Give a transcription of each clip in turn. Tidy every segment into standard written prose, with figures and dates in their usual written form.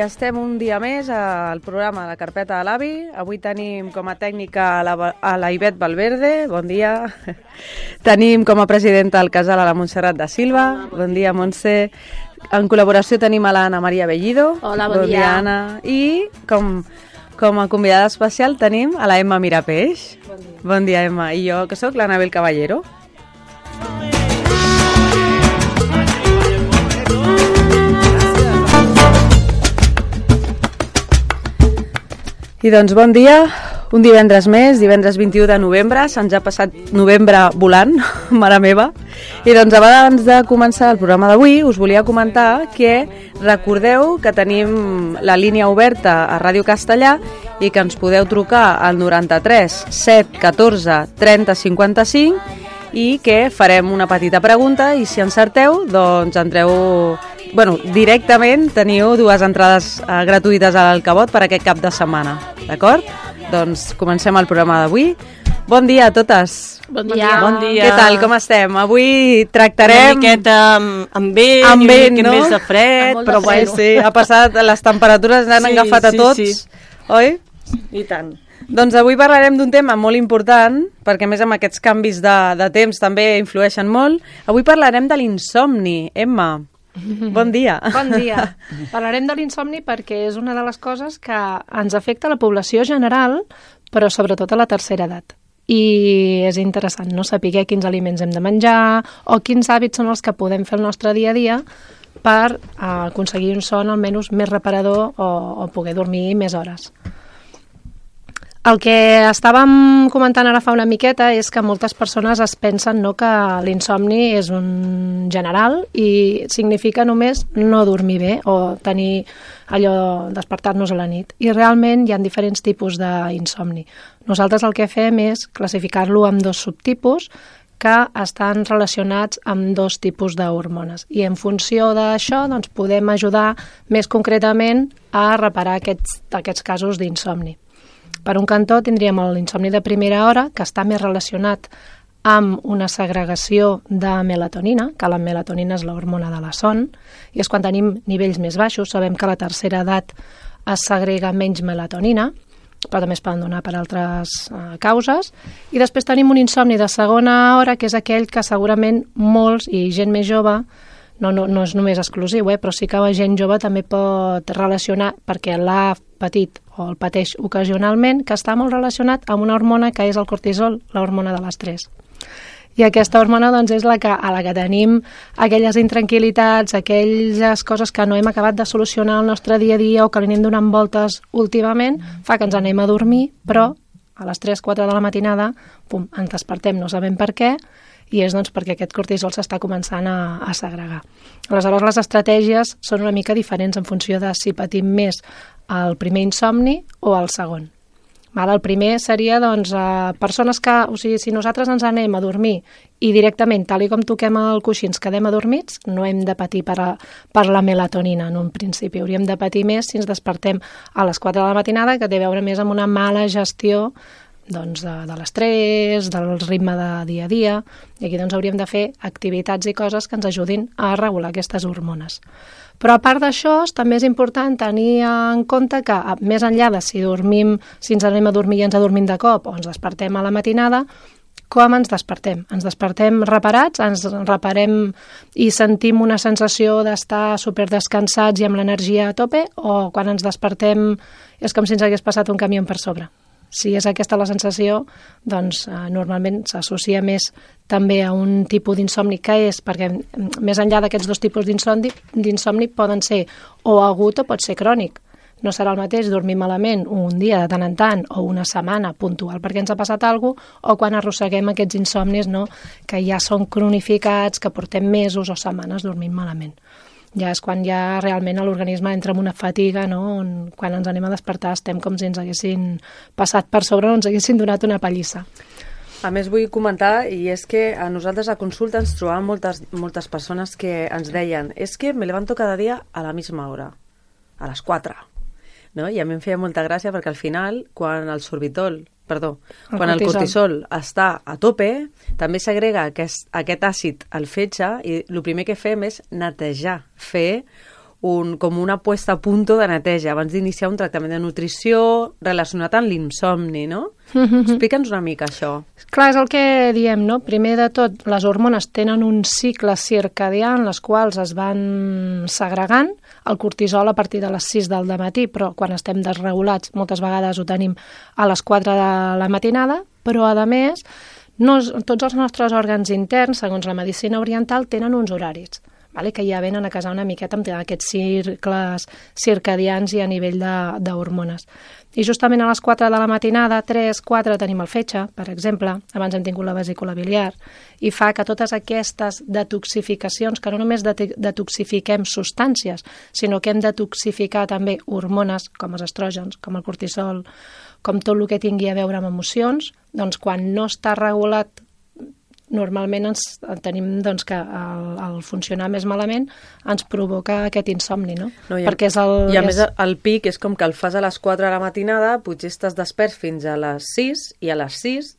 estem un dia més al programa La Carpeta de l'Avi. Avui tenim com a tècnica a la Ivet Valverde, bon dia. Tenim com a presidenta al casal a la Montserrat da Silva, bon dia, Montse. En col·laboració tenim a l'Anna Maria Bellido. Hola, bon dia. Anna. I com a convidada especial tenim a la Emma Mirapeix. Bon dia. Bon dia, Emma. I jo, que sóc l'Anabel Caballero. I doncs bon dia, un divendres més, divendres 21 de novembre, se'ns ha passat novembre volant, mare meva. I doncs abans de començar el programa d'avui us volia comentar que recordeu que tenim la línia oberta a Ràdio Castellà i que ens podeu trucar al 93 7 14 30 55 i que farem una petita pregunta i si encerteu doncs entreu... directament teniu 2 entrades gratuïtes al Cabot per aquest cap de setmana, d'acord? Doncs comencem el programa d'avui. Bon dia a totes. Bon dia. Bon dia. Què tal, com estem? Avui tractarem... Una miqueta amb vent, no? més de fred, Però bueno, sí, ha passat, les temperatures han agafat a tots, oi? I tant. Doncs avui parlarem d'un tema molt important, perquè a més amb aquests canvis de temps també influeixen molt. Avui parlarem de l'insomni. Emma, bon dia. Bon dia. Parlarem de l'insomni perquè és una de les coses que ens afecta a la població general, però sobretot a la tercera edat. I és interessant no saber quins aliments hem de menjar o quins hàbits són els que podem fer el nostre dia a dia per aconseguir un son almenys més reparador o poder dormir més hores. El que estàvem comentant ara fa una miqueta és que moltes persones es pensen que l'insomni és un general i significa només no dormir bé o tenir allò, despertar-nos a la nit. I realment hi ha diferents tipus d'insomni. Nosaltres el que fem és classificar-lo en 2 subtipus que estan relacionats amb 2 tipus d'hormones. I en funció d'això doncs, podem ajudar més concretament a reparar aquests casos d'insomni. Per un cantó tindríem l'insomni de primera hora, que està més relacionat amb una segregació de melatonina, que la melatonina és l'hormona de la son, i és quan tenim nivells més baixos. Sabem que a la tercera edat es segrega menys melatonina, però també es poden donar per altres causes. I després tenim un insomni de segona hora, que és aquell que segurament molts i gent més jove, no és només exclusiu, però sí que la gent jove també pot relacionar, perquè l'ha patit o el pateix ocasionalment, que està molt relacionat amb una hormona que és el cortisol, l'hormona de l'estrès. I aquesta hormona doncs, és a la que tenim aquelles intranquil·litats, aquelles coses que no hem acabat de solucionar al nostre dia a dia o que li anem donant voltes últimament, fa que ens anem a dormir, però a les 3-4 de la matinada ens despertem, no sabem per què, i és doncs, perquè aquest cortisol s'està començant a segregar. Aleshores, les estratègies són una mica diferents en funció de si patim més el primer insomni o el segon. El primer seria doncs, persones que, si nosaltres ens anem a dormir i directament, tal com toquem el coixí, ens quedem adormits, no hem de patir per la melatonina en un principi. Hauríem de patir més si ens despertem a les 4 de la matinada, que té a veure més amb una mala gestió doncs, de l'estrès, del ritme de dia a dia, i aquí doncs, hauríem de fer activitats i coses que ens ajudin a regular aquestes hormones. Però a part d'això, també és important tenir en compte que més enllà de si ens anem a dormir i ens adormim de cop o ens despertem a la matinada, com ens despertem? Ens despertem reparats, ens reparem i sentim una sensació d'estar superdescansats i amb l'energia a tope, o quan ens despertem és com si ens hagués passat un camió per sobre? Si és aquesta la sensació, doncs normalment s'associa més també a un tipus d'insomni que és, perquè més enllà d'aquests 2 tipus d'insomni poden ser o agut o pot ser crònic. No serà el mateix dormir malament un dia de tant en tant o una setmana puntual perquè ens ha passat alguna cosa, o quan arrosseguem aquests insomnis que ja són cronificats, que portem mesos o setmanes dormint malament. Ja és quan ja realment l'organisme entra en una fatiga, on quan ens anem a despertar estem com si ens haguessin passat per sobre o ens haguessin donat una pallissa. A més vull comentar, i és que a nosaltres a consulta ens trobàvem moltes persones que ens deien és que me levanto cada dia a la misma hora, a les 4. No? I a mi em feia molta gràcia perquè al final, quan el cortisol està a tope, també segrega aquest àcid al fetge i el primer que fem és netejar, fer com una puesta a punto de neteja abans d'iniciar un tractament de nutrició relacionat amb l'insomni, no? Explica'ns una mica això. Clar, és el que diem, no? Primer de tot, les hormones tenen un cicle circadià en les quals es van segregant el cortisol a partir de les 6 del matí, però quan estem desregulats moltes vegades ho tenim a les 4 de la matinada, però a més tots els nostres òrgans interns, segons la medicina oriental, tenen uns horaris, vale? Que ja venen a casar una miqueta amb aquests cicles circadians i a nivell d'hormones. I justament a les 4 de la matinada, 3, 4, tenim el fetge, per exemple, abans hem tingut la vesícula biliar, i fa que totes aquestes detoxificacions, que no només detoxifiquem substàncies, sinó que hem de detoxificar també hormones, com els estrògens, com el cortisol, com tot el que tingui a veure amb emocions, doncs quan no està regulat, normalment tenim doncs, que el funcionar més malament ens provoca aquest insomni, no? Perquè és I a més el pic és com que el fas a les 4 de la matinada, potser estàs despert fins a les 6 i a les 6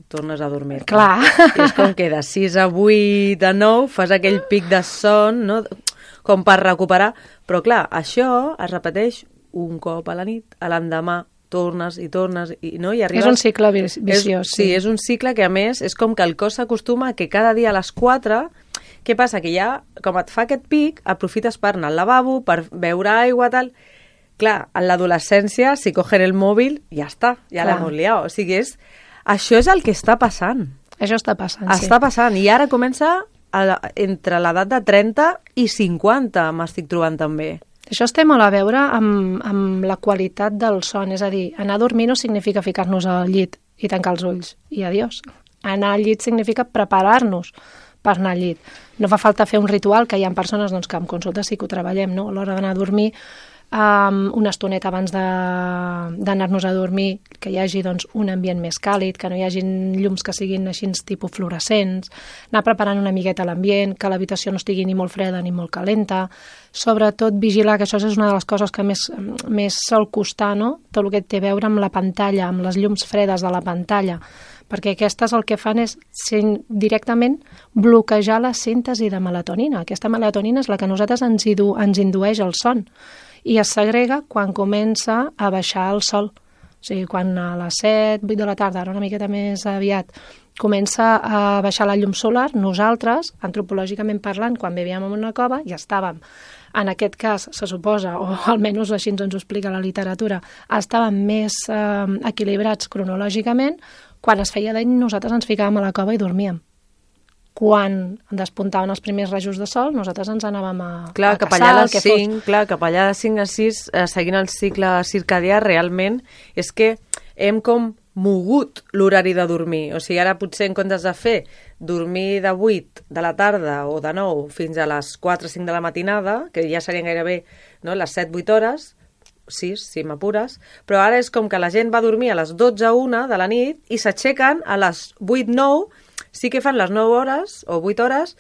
tornes a dormir. Clar. I és com que de 6 a 8 a 9 fas aquell pic de son, no? Com per recuperar. Però clar, això es repeteix un cop a la nit, a l'endemà tornes i tornes, no? I arribes... És un cicle viciós. Sí, és un cicle que a més és com que el cos s'acostuma que cada dia a les 4, què passa? Que ja, com et fa aquest pic, aprofites per anar al lavabo, per beure aigua, tal... Clar, en l'adolescència, si cogen el mòbil, ja està, ja l'hem liat. O sigui, això és el que està passant. Això està passant, sí. Està passant, i ara comença entre l'edat de 30 i 50, m'estic trobant també. Això té molt a veure amb la qualitat del son, és a dir, anar a dormir no significa ficar-nos al llit i tancar els ulls, i adiós. Anar al llit significa preparar-nos per anar al llit. No fa falta fer un ritual, que hi ha persones doncs, que en consulta sí que ho treballem, no? A l'hora d'anar a dormir, una estoneta abans d'anar-nos a dormir, que hi hagi doncs, un ambient més càlid, que no hi hagi llums que siguin així tipus fluorescents, anar preparant una miqueta l'ambient, que l'habitació no estigui ni molt freda ni molt calenta, sobretot vigilar, que això és una de les coses que més sol costar, no? Tot el que té a veure amb la pantalla, amb les llums fredes de la pantalla, perquè aquestes el que fan és directament bloquejar la síntesi de melatonina. Aquesta melatonina és la que a nosaltres ens indueix el son, i es segrega quan comença a baixar el sol. O sigui, quan a les 7, 8 de la tarda, ara una miqueta més aviat, comença a baixar la llum solar, nosaltres, antropològicament parlant, quan vivíem en una cova, ja estàvem, en aquest cas, se suposa, o almenys així ens ho explica la literatura, estàvem més equilibrats cronològicament. Quan es feia d'any, nosaltres ens ficàvem a la cova i dormíem. Quan despuntaven els primers rajos de sol, nosaltres ens anàvem a caçar, cap allà a les 5, clar, cap allà de 5 a 6, seguint el cicle circadià, realment és que hem com mogut l'horari de dormir. O sigui, ara potser en comptes de fer dormir de 8 de la tarda o de 9 fins a les 4 o 5 de la matinada, que ja serien gairebé les 7-8 hores, 6, si m'apures, però ara és com que la gent va dormir a les 12-1 de la nit i s'aixequen a les 8-9, sí que fan les 9 hores o 8 hores,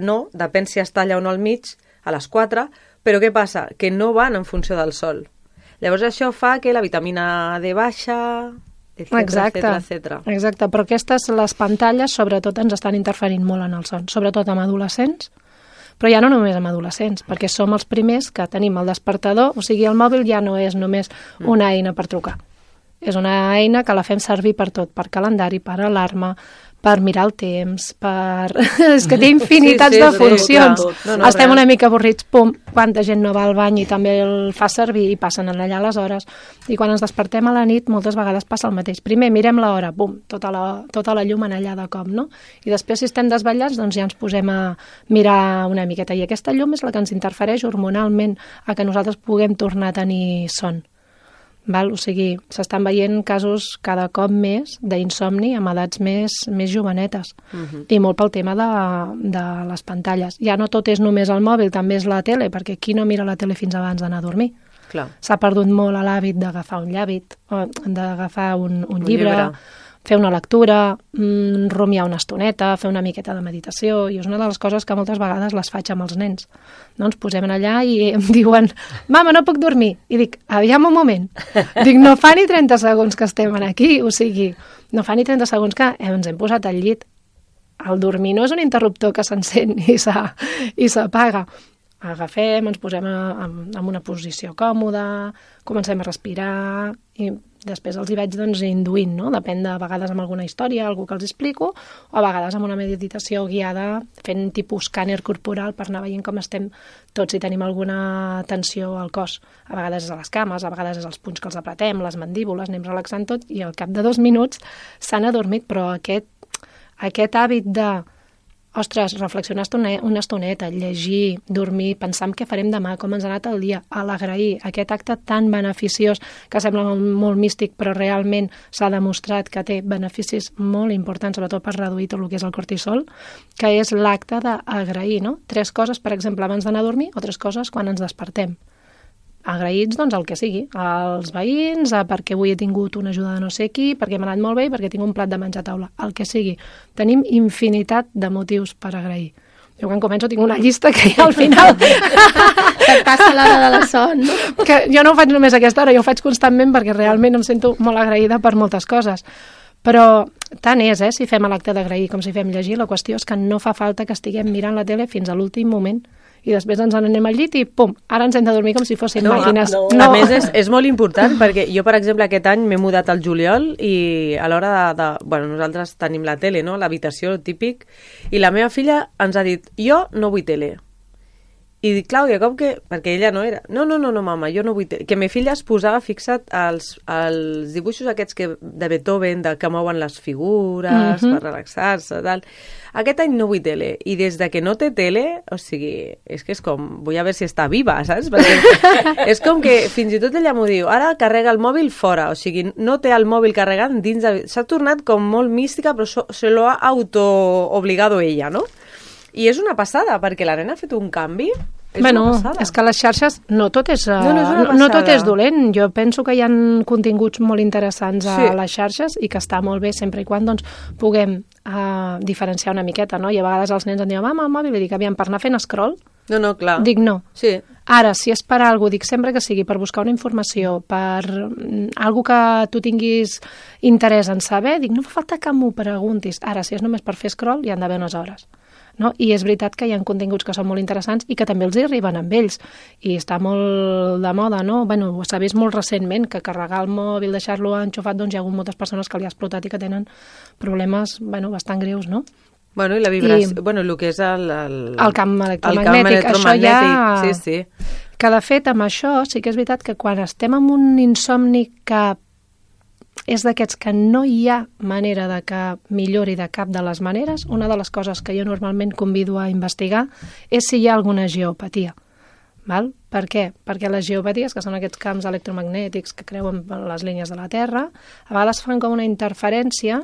no, depèn si es talla o no al mig, a les 4, però què passa? Que no van en funció del sol. Llavors això fa que la vitamina D baixa, etcètera. Exacte, però les pantalles sobretot ens estan interferint molt en el son, sobretot amb adolescents, però ja no només amb adolescents, perquè som els primers que tenim el despertador, o sigui, el mòbil ja no és només una eina per trucar. És una eina que la fem servir per tot, per calendari, per alarma, per mirar el temps, és que té infinitats de funcions. Estem una mica avorrits, pum, quanta gent no va al bany i també el fa servir i passen allà les hores. I quan ens despertem a la nit, moltes vegades passa el mateix. Primer mirem l'hora, bum, tota la llum en allà de cop, no? I després, si estem desvetllats, doncs ja ens posem a mirar una miqueta. I aquesta llum és la que ens interfereix hormonalment a que nosaltres puguem tornar a tenir son. O sigui, s'estan veient casos cada cop més d'insomni amb edats més jovenetes, i molt pel tema de les pantalles. Ja no tot és només el mòbil, també és la tele, perquè qui no mira la tele fins abans d'anar a dormir? S'ha perdut molt l'hàbit d'agafar un llàbit, d'agafar un llibre, fer una lectura, rumiar una estoneta, fer una miqueta de meditació, i és una de les coses que moltes vegades les faig amb els nens. No, ens posem allà i em diuen, mama, no puc dormir. I dic, aviam un moment. Dic, no fa ni 30 segons que estem aquí, o sigui, no fa ni 30 segons que ens hem posat al llit. El dormir no és un interruptor que s'encén i s'apaga. Agafem, ens posem en una posició còmoda, comencem a respirar i després els hi vaig doncs, induint, no? Depèn de vegades amb alguna història, algú que els explico, o a vegades amb una meditació guiada fent tipus escàner corporal per anar veient com estem tots si tenim alguna tensió al cos. A vegades és a les cames, a vegades és els punys que els apretem, les mandíbules, anem relaxant tot i al cap de 2 minuts s'han adormit, però aquest hàbit de ostres, reflexionar una estoneta, llegir, dormir, pensar en què farem demà, com ens ha anat el dia, a l'agrair, aquest acte tan beneficiós que sembla molt místic, però realment s'ha demostrat que té beneficis molt importants, sobretot per reduir tot el que és el cortisol, que és l'acte d'agrair, no? 3 coses, per exemple, abans d'anar a dormir o 3 coses quan ens despertem. Agraïts, doncs, el que sigui, als veïns, perquè avui he tingut una ajuda de no sé qui, perquè m'ha anat molt bé i perquè tinc un plat de menjar a taula, el que sigui. Tenim infinitat de motius per agrair. Jo quan començo tinc una llista que ja al final... Et passa l'hora de la son, no? Que jo no ho faig només a aquesta hora, jo ho faig constantment perquè realment em sento molt agraïda per moltes coses. Però tant és, si fem l'acte d'agrair com si fem llegir, la qüestió és que no fa falta que estiguem mirant la tele fins a l'últim moment i després ens n'anem al llit i pum, ara ens hem de dormir com si fossin màquines. No. A més, és molt important perquè jo, per exemple, aquest any m'he mudat al juliol i a l'hora bueno, nosaltres tenim la tele, no?, l'habitació, típic, i la meva filla ens ha dit, jo no vull tele. I dic, Clàudia, com que... Perquè ella no era. No, mama, jo no vull... Que ma filla es posava, fixa't, als dibuixos aquests de Beethoven, que mouen les figures per relaxar-se, tal. Aquest any no vull tele. I des de que no té tele, o sigui, és que és com... Vull a veure si està viva, saps? Perquè és com que fins i tot ella m'ho diu, ara carrega el mòbil fora, o sigui, no té el mòbil carregant dins de... S'ha tornat com molt mística, però se lo ha auto-obligado ella, no? I és una passada, perquè la nena ha fet un canvi. És que les xarxes no tot és dolent. Jo penso que hi ha continguts molt interessants a les xarxes i que està molt bé sempre i quan doncs, puguem diferenciar una miqueta, no? I a vegades els nens em diuen, mama, el mòbil, i dic, aviam, per anar fent scroll? No, clar. Dic, no. Sí. Ara, si és per alguna cosa, dic sempre que sigui per buscar una informació, per alguna que tu tinguis interès en saber, dic, no fa falta que m'ho preguntis. Ara, si és només per fer scroll, hi han d'haver unes hores. No? I és veritat que hi ha continguts que són molt interessants i que també els hi arriben amb ells. I està molt de moda, no? Bueno, s'ha vist molt recentment que carregar el mòbil, deixar-lo enxufat, doncs hi ha hagut moltes persones que li ha explotat i que tenen problemes bastant greus, no? Bueno, i la vibració, el que és el camp electromagnètic. Això ja... Sí. Que de fet, amb això, sí que és veritat que quan estem amb un insomni que és d'aquests que no hi ha manera de que millori de cap de les maneres, una de les coses que jo normalment convido a investigar és si hi ha alguna geopatia. Val? Per què? Perquè les geopaties, que són aquests camps electromagnètics que creuen les línies de la Terra, a vegades fan com una interferència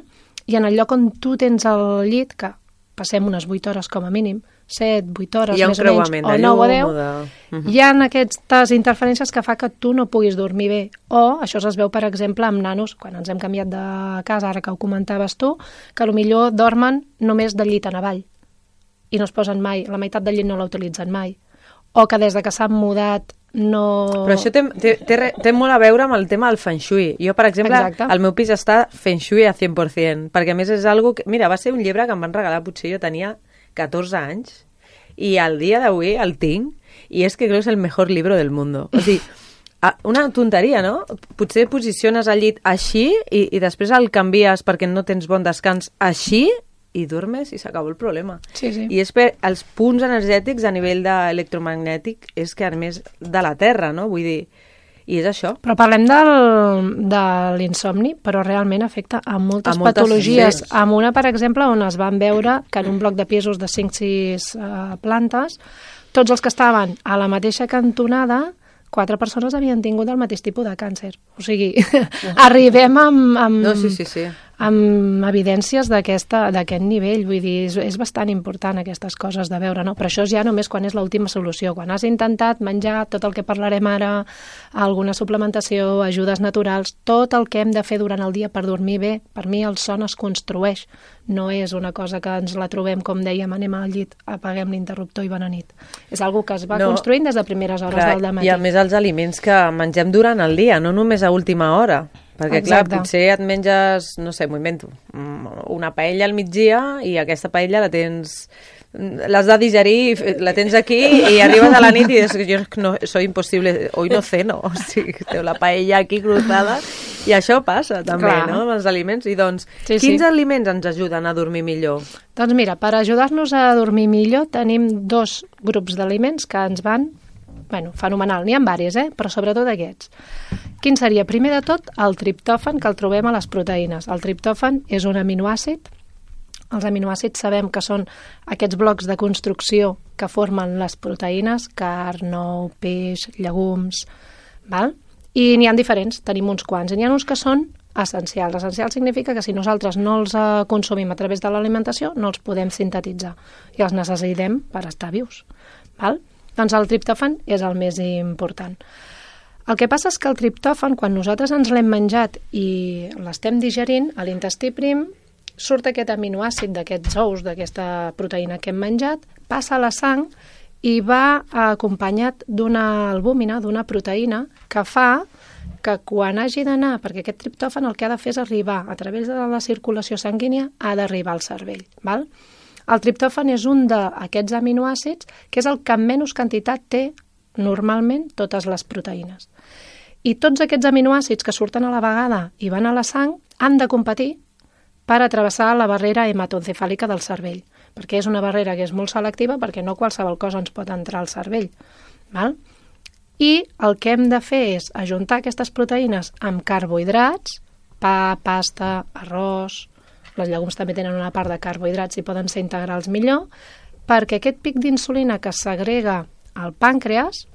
i en el lloc on tu tens el llit, que passem unes 8 hores com a mínim, 7, 8 hores, més o menys, o 9 o 10, hi ha aquestes interferències que fa que tu no puguis dormir bé. O, això es veu, per exemple, amb nanos, quan ens hem canviat de casa, ara que ho comentaves tu, que potser dormen només del llit en avall i no es posen mai, la meitat del llit no la utilitzen mai. O que des de que s'han mudat no... Però això té molt a veure amb el tema del feng shui. Jo, per exemple, el meu pis està feng shui a 100%, perquè a més és algo que... Mira, va ser un llibre que em van regalar, potser jo tenia 14 anys, i al dia d'avui el tinc, i és que crec que és el millor llibre del món. O sigui, una tonteria, no? Potser posiciones el llit així i després el canvies perquè no tens bon descans així, i dormes i s'acaba el problema. Sí. I és per els punts energètics a nivell electromagnètic és que a més de la Terra, no? Vull dir, i és això. Però parlem de l'insomni, però realment afecta a moltes patologies. Sí. Amb una, per exemple, on es van veure que en un bloc de pisos de 5-6 plantes, tots els que estaven a la mateixa cantonada, 4 persones havien tingut el mateix tipus de càncer. O sigui, arribem amb evidències d'aquest nivell. Vull dir, és bastant important aquestes coses de veure, no? Però això és ja només quan és l'última solució. Quan has intentat menjar tot el que parlarem ara, alguna suplementació, ajudes naturals, tot el que hem de fer durant el dia per dormir bé, per mi el son es construeix. No és una cosa que ens la trobem, com dèiem, anem al llit, apaguem l'interruptor i bona nit. És una cosa que es va construint des de primeres hores del dematí. I a més els aliments que mengem durant el dia, no només a última hora. Perquè, clar, potser et menges, no sé, m'ho invento, una paella al migdia i aquesta paella la tens l'has de digerir, la tens aquí i arribes a la nit i dius, jo no, soy imposible, hoy no ceno, o sigui, teniu la paella aquí cruzada, i això passa també, Clar. no?, amb els aliments. I doncs, Sí, quins sí. aliments ens ajuden a dormir millor? Doncs mira, per ajudar-nos a dormir millor tenim 2 grups d'aliments que ens van, fenomenal. N'hi ha diversos, però sobretot aquests. Quin seria? Primer de tot, el triptòfan, que el trobem a les proteïnes. El triptòfan és un aminoàcid. Els aminoàcids sabem que són aquests blocs de construcció que formen les proteïnes, carn, ou, peix, llegums, val? I n'hi ha diferents, tenim uns quants. I n'hi ha uns que són essencials. Essencial significa que si nosaltres no els consumim a través de l'alimentació, no els podem sintetitzar i els necessitem per estar vius. Val? Doncs el triptòfan és el més important. El que passa és que el triptòfan, quan nosaltres ens l'hem menjat i l'estem digerint, a l'intestí prim surt aquest aminoàcid d'aquests ous, d'aquesta proteïna que hem menjat, passa a la sang i va acompanyat d'una albúmina, d'una proteïna, que fa que quan hagi d'anar, perquè aquest triptòfan el que ha de fer és arribar a través de la circulació sanguínia, ha d'arribar al cervell. Val? El triptòfan és un d'aquests aminoàcids que és el que en menys quantitat té normalment totes les proteïnes. I tots aquests aminoàcids que surten a la vegada i van a la sang han de competir per travessar la barrera hematoencefàlica del cervell, perquè és una barrera que és molt selectiva perquè no qualsevol cosa ens pot entrar al cervell. Val? I el que hem de fer és ajuntar aquestes proteïnes amb carbohidrats, pa, pasta, arròs, les llegums també tenen una part de carbohidrats i poden ser integrals millor, perquè aquest pic d'insulina que segrega al pàncreas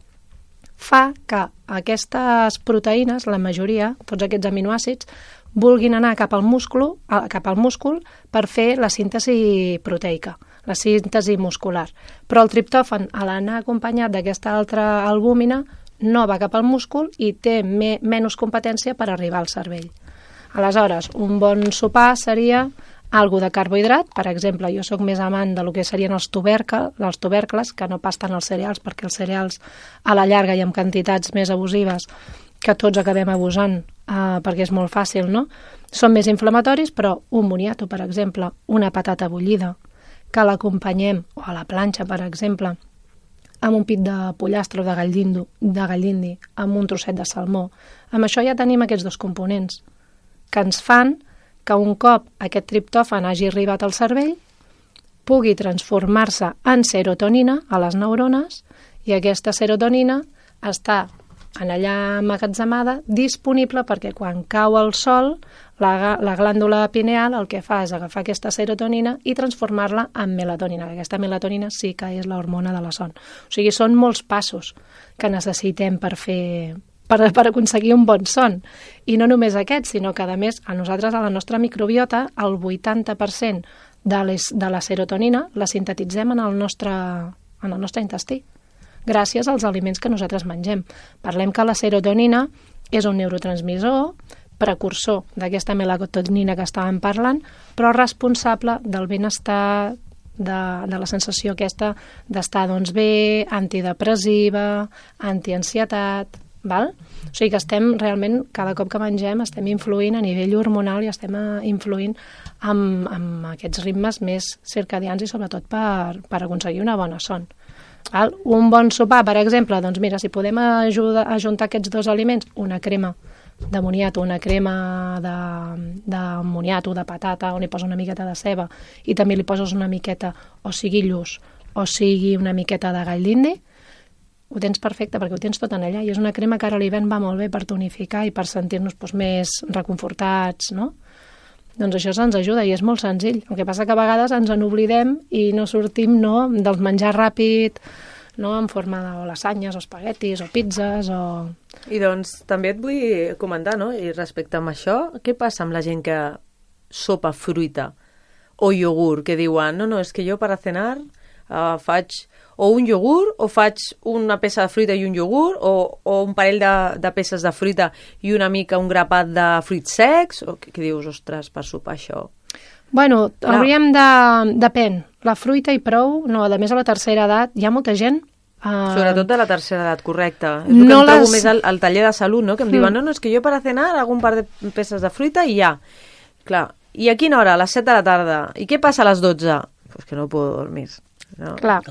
fa que aquestes proteïnes, la majoria, tots aquests aminoàcids, vulguin anar cap al múscul per fer la síntesi proteica, la síntesi muscular. Però el triptòfan, a l'anar acompanyat d'aquesta altra albúmina, no va cap al múscul i té menys competència per arribar al cervell. Aleshores, un bon sopar seria algo de carbohidrat. Per exemple, jo sóc més amant de lo que serien els tubercles, que no pas tant els cereals, perquè els cereals a la llarga i amb quantitats més abusives que tots acabem abusant perquè és molt fàcil, no? Són més inflamatoris, però un moniato, per exemple, una patata bullida, que l'acompanyem, o a la planxa, per exemple, amb un pit de pollastre o de gallindi, amb un trosset de salmó. Amb això ja tenim aquests 2 components que ens fan que un cop aquest triptòfan hagi arribat al cervell pugui transformar-se en serotonina a les neurones i aquesta serotonina està en allà emmagatzemada, disponible perquè quan cau el sol, la glàndula pineal el que fa és agafar aquesta serotonina i transformar-la en melatonina. Aquesta melatonina sí que és l'hormona de la son. O sigui, són molts passos que necessitem per aconseguir un bon son. I no només aquest, sinó que, a més, a nosaltres, a la nostra microbiota, el 80% de la serotonina la sintetitzem en el nostre intestí, gràcies als aliments que nosaltres mengem. Parlem que la serotonina és un neurotransmissor, precursor d'aquesta melatonina que estàvem parlant, però responsable del benestar, de la sensació aquesta d'estar bé, antidepressiva, antiansietat, val? O sigui que estem realment, cada cop que mengem, estem influint a nivell hormonal i estem influint amb aquests ritmes més circadians i sobretot per aconseguir una bona son. Val? Un bon sopar, per exemple, doncs mira, si podem ajuntar aquests 2 aliments, una crema de moniato, una crema de moniato, de patata, on hi posa una miqueta de ceba i també li poses una miqueta, o sigui lluç, o sigui una miqueta de gall d'indi, ho tens perfecte perquè ho tens tot en allà i és una crema que ara a l'hivern va molt bé per tonificar i per sentir-nos més reconfortats, no? Doncs això ens ajuda i és molt senzill. El que passa que a vegades ens n'oblidem i no sortim del menjar ràpid, en forma de lasanyes o espaguetis o pizzas o... I doncs també et vull comentar, no? I respecte a això, què passa amb la gent que sopa fruita o iogurt, que diuen, no, és que jo per a cenar faig o un iogurt o faig una peça de fruita i un iogurt o un parell de peces de fruita i una mica un grapat de fruits secs, o què dius, ostres, per sopar això? Bueno, hauríem de... Depèn. La fruita i prou, no, a més a la tercera edat hi ha molta gent... Sobretot de la tercera edat, correcte. És el que em trobo més al taller de salut, no? Que em diuen, no, és que jo per a cenar hago un par de peces de fruita i ja. Clar, i a quina hora? A les 7 de la tarda. I què passa a les 12? Pues que no puedo dormir. No? Clar,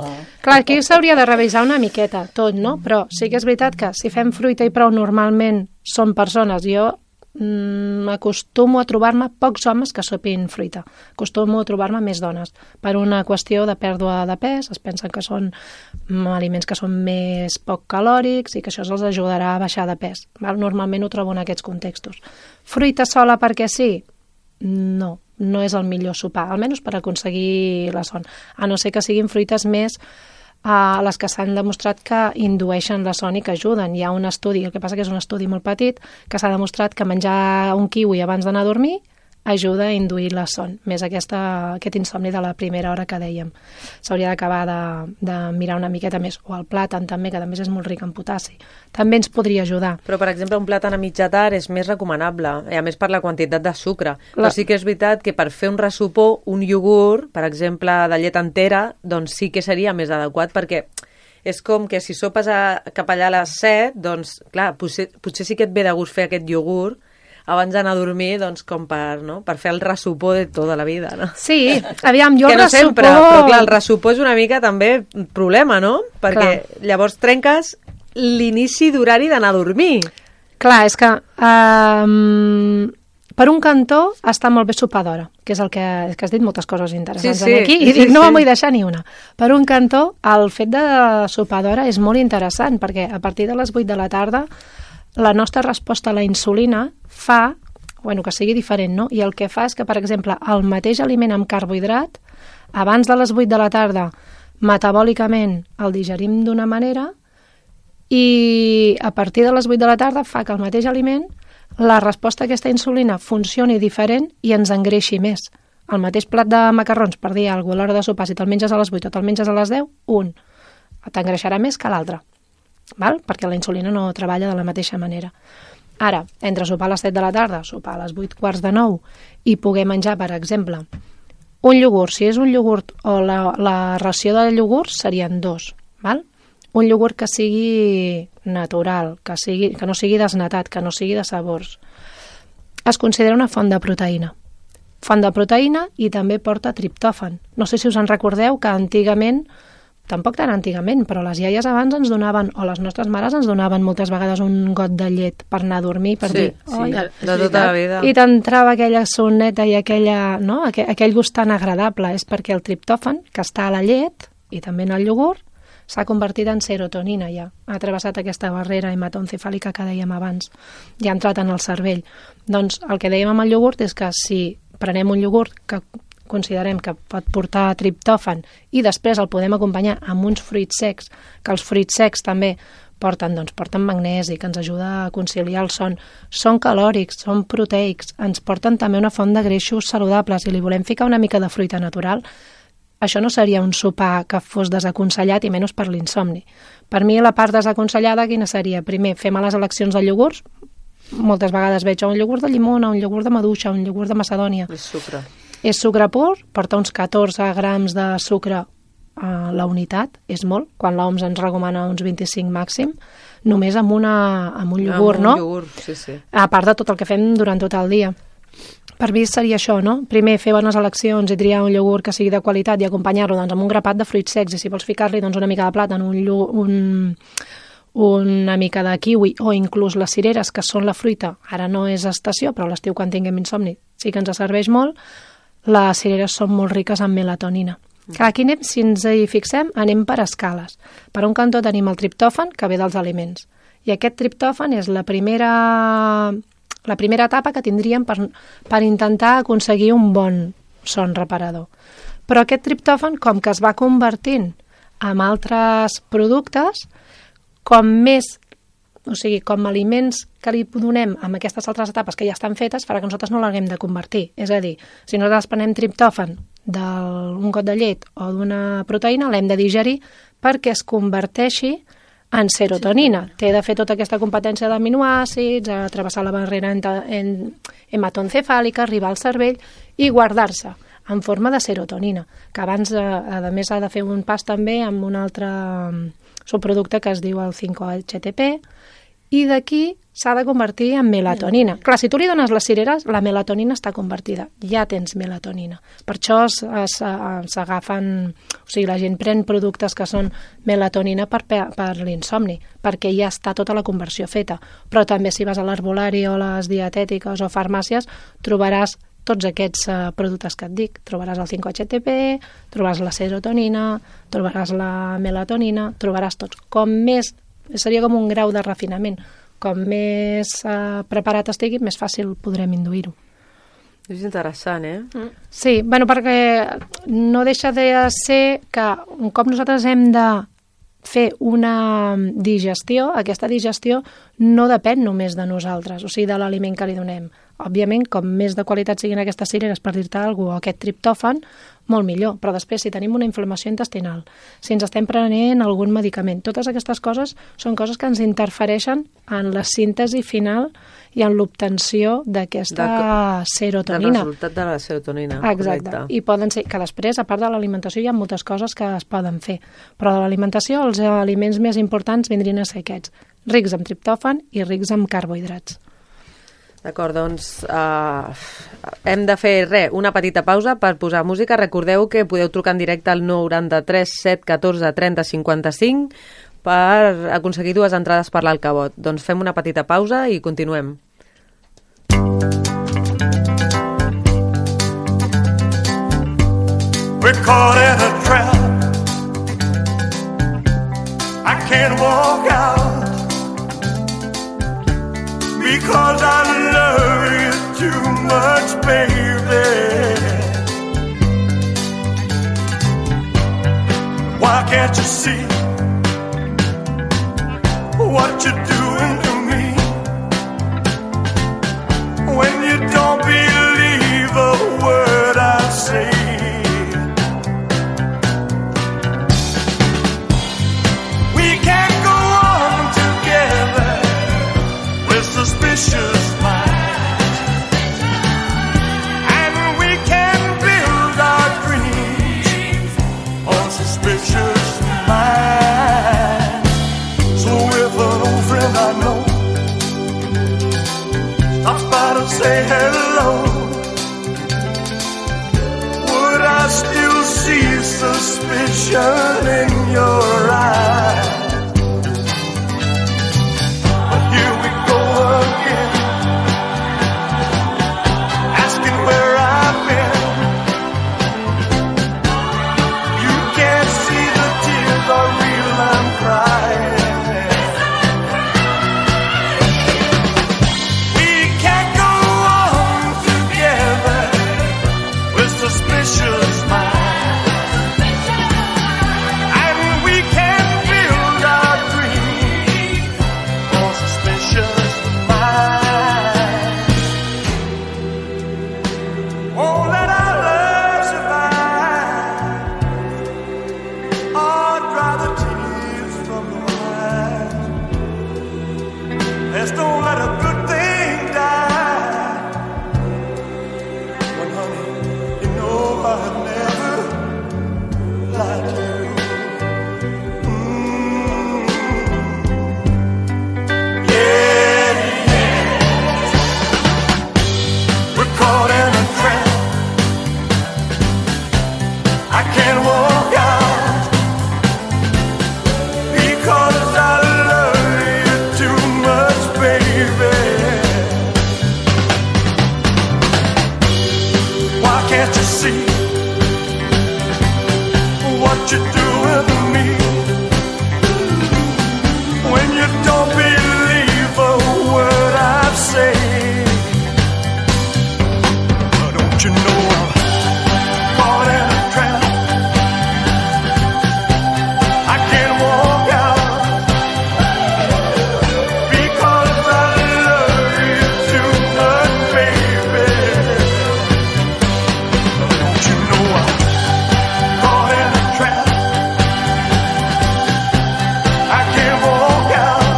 aquí s'hauria de revisar una miqueta tot, no? Però sí que és veritat que si fem fruita i prou normalment són persones. Jo acostumo a trobar-me pocs homes que sopin fruita. Acostumo a trobar-me més dones. Per una qüestió de pèrdua de pes, es pensen que són aliments que són més poc calòrics i que això els ajudarà a baixar de pes. Normalment ho trobo en aquests contextos. Fruita sola perquè sí? No és el millor sopar, almenys per aconseguir la son. A no ser que siguin fruites més les que s'han demostrat que indueixen la son i que ajuden. Hi ha un estudi, el que passa que és un estudi molt petit, que s'ha demostrat que menjar un kiwi abans d'anar a dormir ajuda a induir la son, més aquest insomni de la primera hora que dèiem. S'hauria d'acabar de mirar una miqueta més. O el plàtan també, que també és molt ric en potassi. També ens podria ajudar. Però, per exemple, un plàtan a mitja tard és més recomanable, i a més per la quantitat de sucre. Però sí que és veritat que per fer un ressupó, un iogurt, per exemple, de llet entera, doncs sí que seria més adequat, perquè és com que si sopes cap allà a les 7, doncs, clar, potser sí que et ve de gust fer aquest iogurt abans d'anar a dormir, doncs, com per fer el ressupó de tota la vida, no? Sí, aviam, jo que el no ressupó... sempre, però clar, el ressupó és una mica també un problema, no? Perquè llavors trenques l'inici d'horari d'anar a dormir. Clar, és que per un cantó està molt bé sopar d'hora, que és el que has dit moltes coses interessants aquí, i dic, no me'n vull deixar ni una. Per un cantó, el fet de sopar d'hora és molt interessant, perquè a partir de les 8 de la tarda la nostra resposta a la insulina fa, que sigui diferent, no? I el que fa és que, per exemple, el mateix aliment amb carbohidrat, abans de les 8 de la tarda, metabòlicament el digerim d'una manera i a partir de les 8 de la tarda fa que el mateix aliment, la resposta a aquesta insulina funcioni diferent i ens engreixi més. El mateix plat de macarrons, per dir alguna cosa, a l'hora de sopar, si te'l menges a les 8 o te'l menges a les 10, un t'engreixarà més que l'altre. Perquè la insulina no treballa de la mateixa manera. Ara, entre sopar a les 7 de la tarda, sopar a les 8:45 i poder menjar, per exemple, un iogurt. Si és un iogurt o la ració de iogurts serien 2, val? Un iogurt que sigui natural, que no sigui desnatat, que no sigui de sabors. Es considera una font de proteïna. Font de proteïna i també porta triptòfan. No sé si us en recordeu que antigament, tampoc tan antigament, però les iaies abans ens donaven, o les nostres mares ens donaven moltes vegades un got de llet per anar a dormir, per dir... Sí, de tota la vida. I t'entrava aquella soneta i aquell gust tan agradable. És perquè el triptòfan, que està a la llet, i també en el iogurt, s'ha convertit en serotonina ja. Ha travessat aquesta barrera hematoencefàlica que dèiem abans. Ja ha entrat en el cervell. Doncs el que dèiem amb el iogurt és que si prenem un iogurt que considerem que pot portar triptòfan i després el podem acompanyar amb uns fruits secs, que els fruits secs també porten magnesi, que ens ajuda a conciliar el son. Són calòrics, són proteics, ens porten també una font de greixos saludables i li volem ficar una mica de fruita natural. Això no seria un sopar que fos desaconsellat i menys per l'insomni. Per mi la part desaconsellada quina seria? Primer, fer males eleccions de iogurts. Moltes vegades veig un iogurt de llimona, un iogurt de maduixa, un iogurt de macedònia. És sucre. És sucre pur, porta uns 14 grams de sucre a la unitat, és molt, quan l'OMS ens recomana uns 25 màxim, només amb un iogurt, no? Amb un iogurt, sí. A part de tot el que fem durant tot el dia. Per mi seria això, no? Primer, fer bones eleccions i triar un iogurt que sigui de qualitat i acompanyar-lo amb un grapat de fruits secs, i si vols ficar-li una mica de plàtan, una mica de kiwi o inclús les cireres, que són la fruita, ara no és estació, però a l'estiu quan tinguem insomni sí que ens serveix molt. Les cireres són molt riques en melatonina. Aquí anem, si ens hi fixem, anem per escales. Per un cantó tenim el triptòfan, que ve dels aliments. I aquest triptòfan és la primera etapa que tindríem per intentar aconseguir un bon son reparador. Però aquest triptòfan, com que es va convertint en altres productes, com aliments que li donem amb aquestes altres etapes que ja estan fetes, farà que nosaltres no l'haguem de convertir. És a dir, si nosaltres prenem triptòfan d'un got de llet o d'una proteïna, l'hem de digerir perquè es converteixi en serotonina. Té de fer tota aquesta competència d'aminoàcids, travessar la barrera hematoencefàlica, arribar al cervell i guardar-se en forma de serotonina, que abans, a més, ha de fer un pas també amb un altre subproducte que es diu el 5-HTP i d'aquí s'ha de convertir en melatonina. Clar, si tu li dones les cireres, la melatonina està convertida. Ja tens melatonina. Per això s'agafen... O sigui, la gent pren productes que són melatonina per l'insomni, perquè ja està tota la conversió feta. Però també si vas a l'herbolari o a les dietètiques o farmàcies, trobaràs tots aquests productes que et dic. Trobaràs el 5-HTP, trobaràs la serotonina, trobaràs la melatonina, trobaràs tots. Com més... Seria com un grau de refinament. Com més preparat estigui, més fàcil podrem induir-ho. És interessant, Sí, bueno, perquè no deixa de ser que un cop nosaltres hem de fer una digestió, aquesta digestió no depèn només de nosaltres, o sigui, de l'aliment que li donem. Òbviament, com més de qualitat siguin aquestes cireres, per dir-te alguna cosa, o aquest triptòfan, molt millor. Però després, si tenim una inflamació intestinal, si ens estem prenent algun medicament, totes aquestes coses són coses que ens interfereixen en la síntesi final i en l'obtenció d'aquesta serotonina. Del resultat de la serotonina. Exacte. Correcte. I poden ser, que després, a part de l'alimentació, hi ha moltes coses que es poden fer. Però de l'alimentació, els aliments més importants vindrien a ser aquests, rics en triptòfan i rics en carbohidrats. D'acord, doncs hem de fer una petita pausa per posar música. Recordeu que podeu trucar en directe al 993 714 30 55 per aconseguir 2 entrades per l'Alcavot. Doncs fem una petita pausa i continuem. We're caught in a trap. I can't walk out because I love you too much, baby. Why can't you see what you're doing to me? When you don't believe a word I say. We can't go on together with suspicious minds, and we can build our dreams on suspicious minds. So if an old friend I know stops by to say hello, would I still see suspicion in your eyes? But here we go again, asking where I've been. You can't see the tears are real, I'm crying. We can't go on together with suspicious minds, and we can't build our dreams on suspicious minds. Won't let our love survive, or dry the tears from the eyes. Let's don't let a good thing die. When, honey, you know I'd never lie to you. Yeah, yeah. We're caught in a trap. I can't walk out because I love you too much, baby. Why can't you see what you're doing to me? When you don't believe a word I say, don't you know I'm caught in a trap? I can't walk out because I love you too much, baby. Don't you know I'm caught in a trap? I can't walk out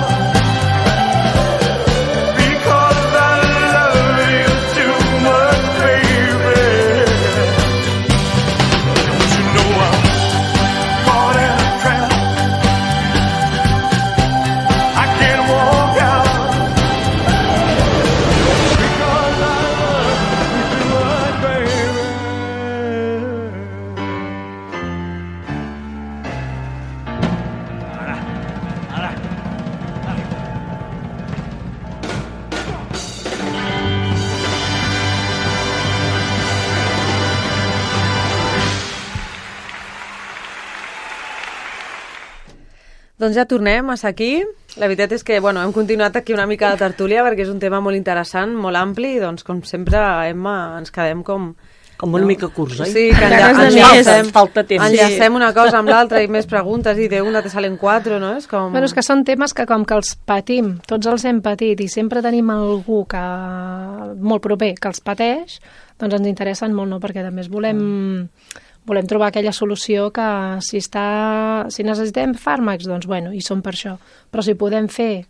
Doncs ja tornem a ser aquí. La veritat és que hem continuat aquí una mica de tertúlia perquè és un tema molt interessant, molt ampli, i doncs com sempre, Emma, ens quedem com una mica curts, oi? Sí, que falta temps. Enllacem una cosa amb l'altra i més preguntes i d'una te salen 4, no? És com... Bueno, és que són temes que com que els patim, tots els hem patit i sempre tenim algú que molt proper que els pateix, doncs ens interessen molt, no? Perquè a més volem trobar aquella solució que si necessitem fàrmacs, doncs i són per això. Però si podem fer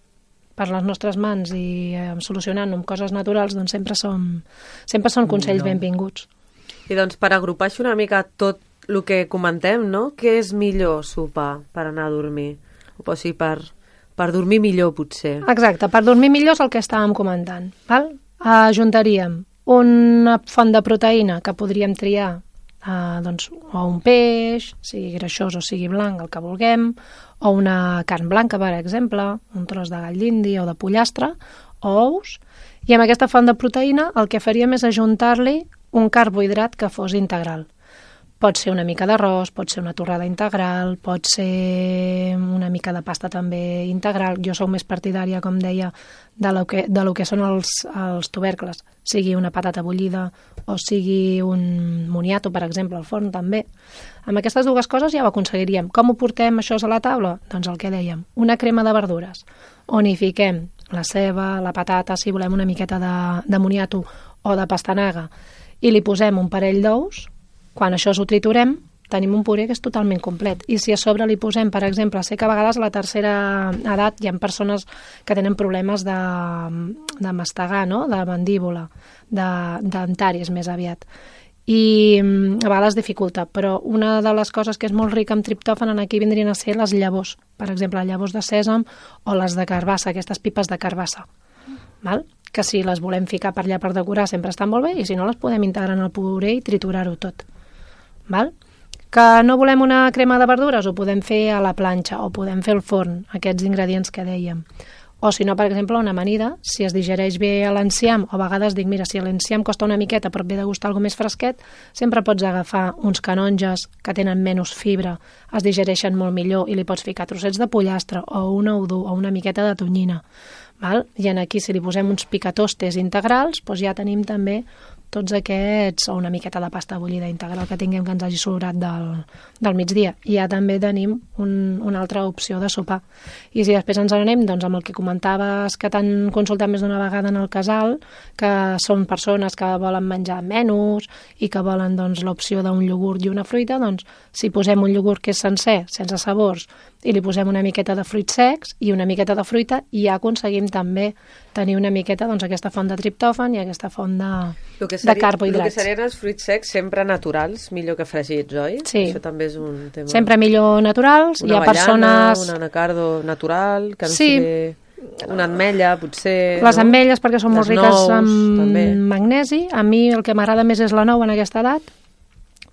per les nostres mans i solucionant-ho amb coses naturals, doncs sempre són consells benvinguts. I doncs per agrupar una mica tot el que comentem, no? Què és millor sopar per anar a dormir? O sigui, per dormir millor, potser. Exacte, per dormir millor és el que estàvem comentant. Val? Ajuntaríem una font de proteïna que podríem triar o un peix, sigui greixós o sigui blanc, el que vulguem, o una carn blanca, per exemple, un tros de gall d'indi o de pollastre, o ous, i amb aquesta font de proteïna el que faríem és ajuntar-li un carbohidrat que fos integral. Pot ser una mica d'arròs, pot ser una torrada integral, pot ser una mica de pasta també integral. Jo sóc més partidària, com deia, de lo que són els tubercles, sigui una patata bullida o sigui un moniato, per exemple, al forn també. Amb aquestes dues coses ja ho aconseguiríem. Com ho portem això a la taula? Doncs el que dèiem, una crema de verdures, on hi fiquem la ceba, la patata, si volem una miqueta de moniato o de pastanaga, i li posem un parell d'ous. Quan això ho triturem, tenim un puré que és totalment complet. I si a sobre li posem, per exemple, sé que a vegades a la tercera edat hi ha persones que tenen problemes de mastegar, no? De mandíbula, dentaris més aviat. I a vegades dificulta, però una de les coses que és molt rica en triptòfan aquí vindrien a ser les llavors, per exemple, llavors de sèsam o les de carbassa, aquestes pipes de carbassa, val? Que si les volem ficar per allà per decorar sempre estan molt bé, i si no les podem integrar en el puré i triturar-ho tot. Val? Que no volem una crema de verdures, ho podem fer a la planxa o podem fer al forn, aquests ingredients que dèiem. O si no, per exemple, una amanida, si es digereix bé a l'enciam, o a vegades dic, mira, si l'enciam costa una miqueta però ve de gustar alguna més fresquet, sempre pots agafar uns canonges que tenen menys fibra, es digereixen molt millor i li pots ficar trossets de pollastre o un ou dur o una miqueta de tonyina. Val? I aquí, si li posem uns picatostes integrals, doncs ja tenim també tots aquests, o una miqueta de pasta bullida integral que tinguem que ens hagi sobrat del migdia. I ja també tenim una altra opció de sopar. I si després ens anem doncs, amb el que comentaves que t'han consultat més d'una vegada en el casal, que són persones que volen menjar menús i que volen doncs, l'opció d'un iogurt i una fruita, doncs si posem un iogurt que és sencer, sense sabors, i li posem una miqueta de fruits secs i una miqueta de fruita, i ja aconseguim també tenir una miqueta doncs, aquesta font de triptòfan i aquesta font de carbohidrats. El que serien els fruits secs sempre naturals, millor que fregits, oi? Sí. Això també és un tema... Sempre millor naturals. Una hi ha persones... un anacardo natural, que no sí. sigui una ametlla, potser... Les ametlles, perquè són molt riques en també. magnesi. A mi el que m'agrada més és la nou en aquesta edat,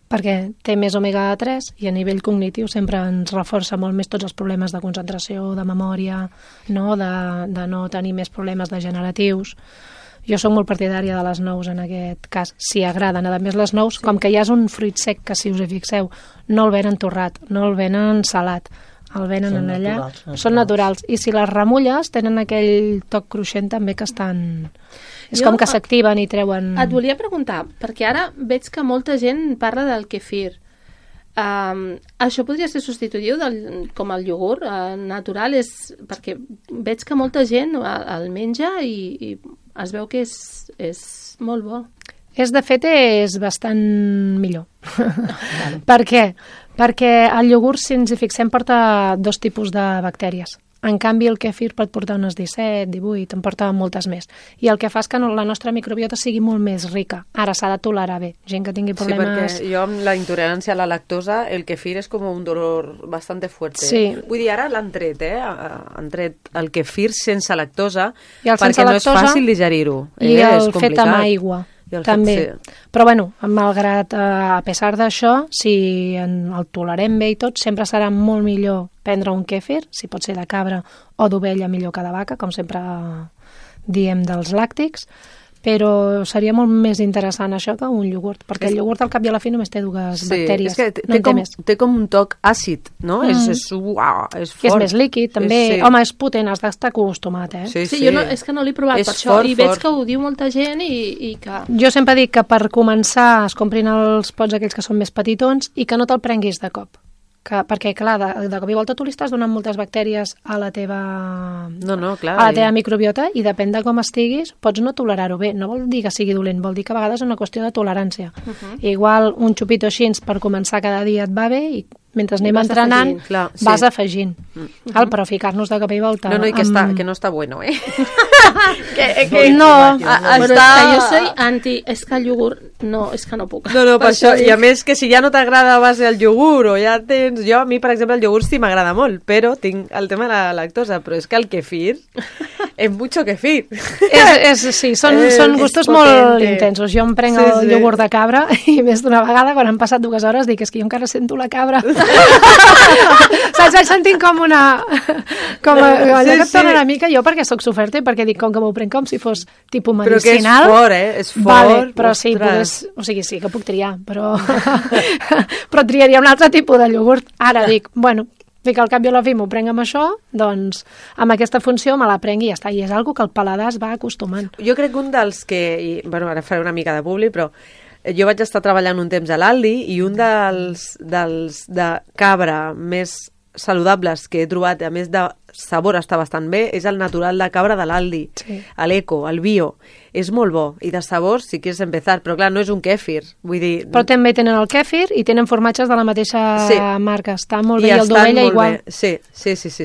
perquè té més omega-3 i a nivell cognitiu sempre ens reforça molt més tots els problemes de concentració, de memòria, no? De no tenir més problemes degeneratius. Jo soc molt partidària de les nous en aquest cas, si agraden. A més, les nous, com que ja és un fruit sec que, si us hi fixeu, no el venen torrat, no el venen salat, el venen en allà. Són naturals. I si les remulles, tenen aquell toc cruixent també que estan... És com que s'activen i treuen... Et volia preguntar, perquè ara veig que molta gent parla del kefir. Això podria ser substitutiu com el iogurt natural? Perquè veig que molta gent el menja i es veu que és molt bo. De fet, és bastant millor. Per què? Perquè el iogurt, si ens hi fixem, porta 2 tipus de bactèries. En canvi, el kefir pot portar unes 17, 18, en porta moltes més. I el que fa és que la nostra microbiota sigui molt més rica. Ara s'ha de tolerar bé. Gent que tingui problemes... Sí, perquè jo amb la intolerància a la lactosa, el kefir és com un dolor bastante fuerte. Sí. Vull dir, ara l'han tret, han tret el kefir sense lactosa, perquè no és fàcil digerir-ho. I el fet amb aigua. També. Però bueno, malgrat a pesar d'això, si el tolerem bé i tot, sempre serà molt millor prendre un kefir, si pot ser de cabra o d'ovella, millor que de vaca, com sempre diem dels làctics, però seria molt més interessant això que un iogurt, perquè el iogurt al cap i a la fi només té dues bactèries, és que no en té més. té com un toc àcid, no? És fort. I és més líquid, també. Sí. Home, és potent, has d'estar acostumat, Sí, jo és que no l'he provat per això, i veig que ho diu molta gent i que... Jo sempre dic que per començar es comprin els pots aquells que són més petitons i que no te'l prenguis de cop. Perquè, clar, de cop i volta tu li estàs donant moltes bactèries a la teva, clar, a la teva microbiota i depèn de com estiguis, pots no tolerar-ho bé. No vol dir que sigui dolent, vol dir que a vegades és una qüestió de tolerància. Igual un xupito així per començar cada dia et va bé i mentre anem entrenant vas afegint. Però ficar-nos de cop i volta... No, i que no està bueno, eh? No, però jo soy anti... És que el iogurt... No, és que no puc. No, per això. I a més que si ja no t'agrada a base el iogurt o ja tens... Jo, a mi, per exemple, el iogurt sí m'agrada molt, però tinc el tema de la lactosa, però és que el kefir és mucho kefir. Sí, són gustos molt intensos. Jo em prenc el iogurt de cabra i més d'una vegada, quan han passat 2 hores, dic, és que jo encara sento la cabra. Saps? Vaig sentint com una... allò que et torna una mica, jo perquè sóc soferta i perquè dic, com que m'ho prenc com si fos tipus medicinal. Però que és fort, És fort. Vale, però sí, o sigui, sí que puc triar, però triaria un altre tipus de iogurt. Ara dic, bueno, que al cap i a la fi m'ho prenc amb això, doncs amb aquesta funció me la prenc i ja està. I és algo que el paladar es va acostumant. Jo crec que un dels que... ara faré una mica de publi, però jo vaig estar treballant un temps a l'Aldi i un dels de cabra més saludables que he trobat, a més de sabor està bastant bé, és el natural de cabra de l'Aldi, l'Eco, el bio. És molt bo, i de sabor si quieres empezar, però clar, no és un kèfir, vull dir... Però també tenen el kèfir i tenen formatges de la mateixa marca, està molt bé, i el d'ovella igual. Sí.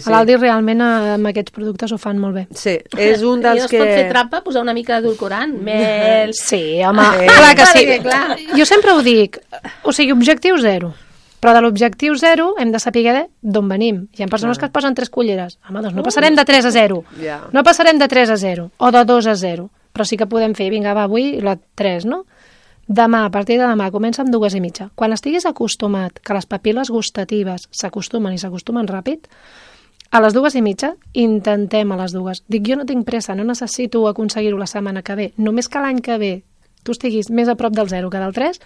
A l'Aldi realment amb aquests productes ho fan molt bé. Sí, és un dels que... I no es pot fer trampa, posar una mica d'edulcorant, mel... Sí, home, clar que sí. Jo sempre ho dic, o sigui, objectiu 0. Però de l'objectiu 0 hem de saber d'on venim. Hi ha persones que es posen 3 culleres. Home, doncs no passarem de 3 a 0. No passarem de 3 a 0 o de 2 a 0. Però sí que podem fer, vinga, va, avui la 3, no? Demà, a partir de demà, comença amb 2,5. Quan estiguis acostumat que les papil·les gustatives s'acostumen i s'acostumen ràpid, a les 2,5 intentem a les 2. Dic, jo no tinc pressa, no necessito aconseguir-ho la setmana que ve. Només que l'any que ve tu estiguis més a prop del 0 que del 3,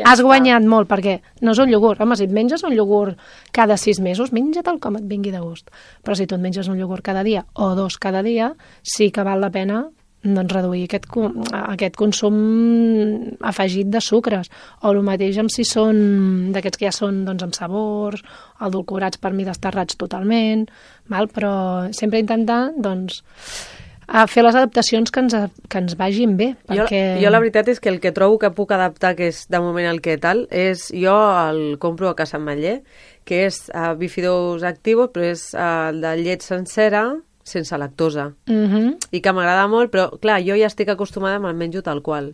has guanyat molt, perquè no és un iogurt. Home, si et menges un iogurt cada 6 mesos, menja-te'l com et vingui de gust. Però si tu et menges un iogurt cada dia o 2 cada dia, sí que val la pena doncs, reduir aquest consum afegit de sucres. O el mateix amb si són d'aquests que ja són doncs, amb sabors, edulcorats per mi desterrats totalment, però sempre intentar doncs, a fer les adaptacions que ens vagin bé. Perquè... Jo la veritat és que el que trobo que puc adaptar, que és de moment el que tal, és jo el compro a Casa Ametller, que és bifidus activos, però és de llet sencera, sense lactosa. I que m'agrada molt, però clar, jo ja estic acostumada amb el menjo tal qual.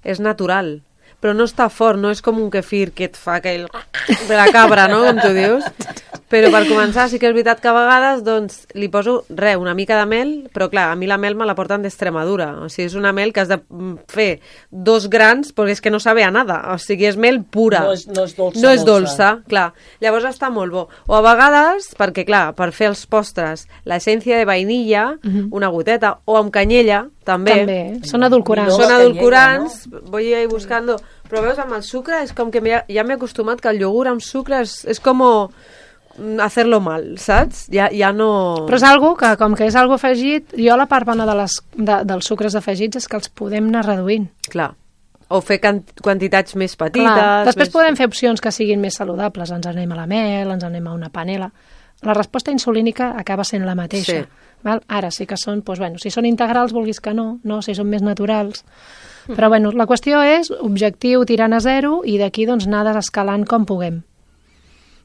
És natural, però no està fort, no és com un kefir que et fa aquell de la cabra, no?, com tu dius. Però per començar sí que és veritat que a vegades doncs, li poso una mica de mel, però clar, a mi la mel me la porten d'Extremadura. O sigui, és una mel que has de fer 2 grans perquè és que no sabe a nada. O sigui, és mel pura. No és dolça. No és dolça, clar. Llavors està molt bo. O a vegades, perquè clar, per fer els postres, l'essència de vainilla, una goteta, o amb canyella, també. Són edulcorants. Són edulcorants, voy a ir buscando. Però veus, amb el sucre és com que ja m'he acostumat que el iogurt amb sucre és com hacerlo mal, saps? Ja no... Però és algo que, com que és algo afegit, jo la part bona dels sucres afegits és que els podem anar reduint. Clar. O fer quantitats més petites... Clar. Després podem fer opcions que siguin més saludables. Ens anem a la mel, ens anem a una panela. La resposta insulínica acaba sent la mateixa. Sí. Val? Ara sí que són, doncs, bueno, si són integrals, vulguis que no, si són més naturals. Però bueno, la qüestió és objectiu tirant a 0 i d'aquí doncs anar desescalant com puguem.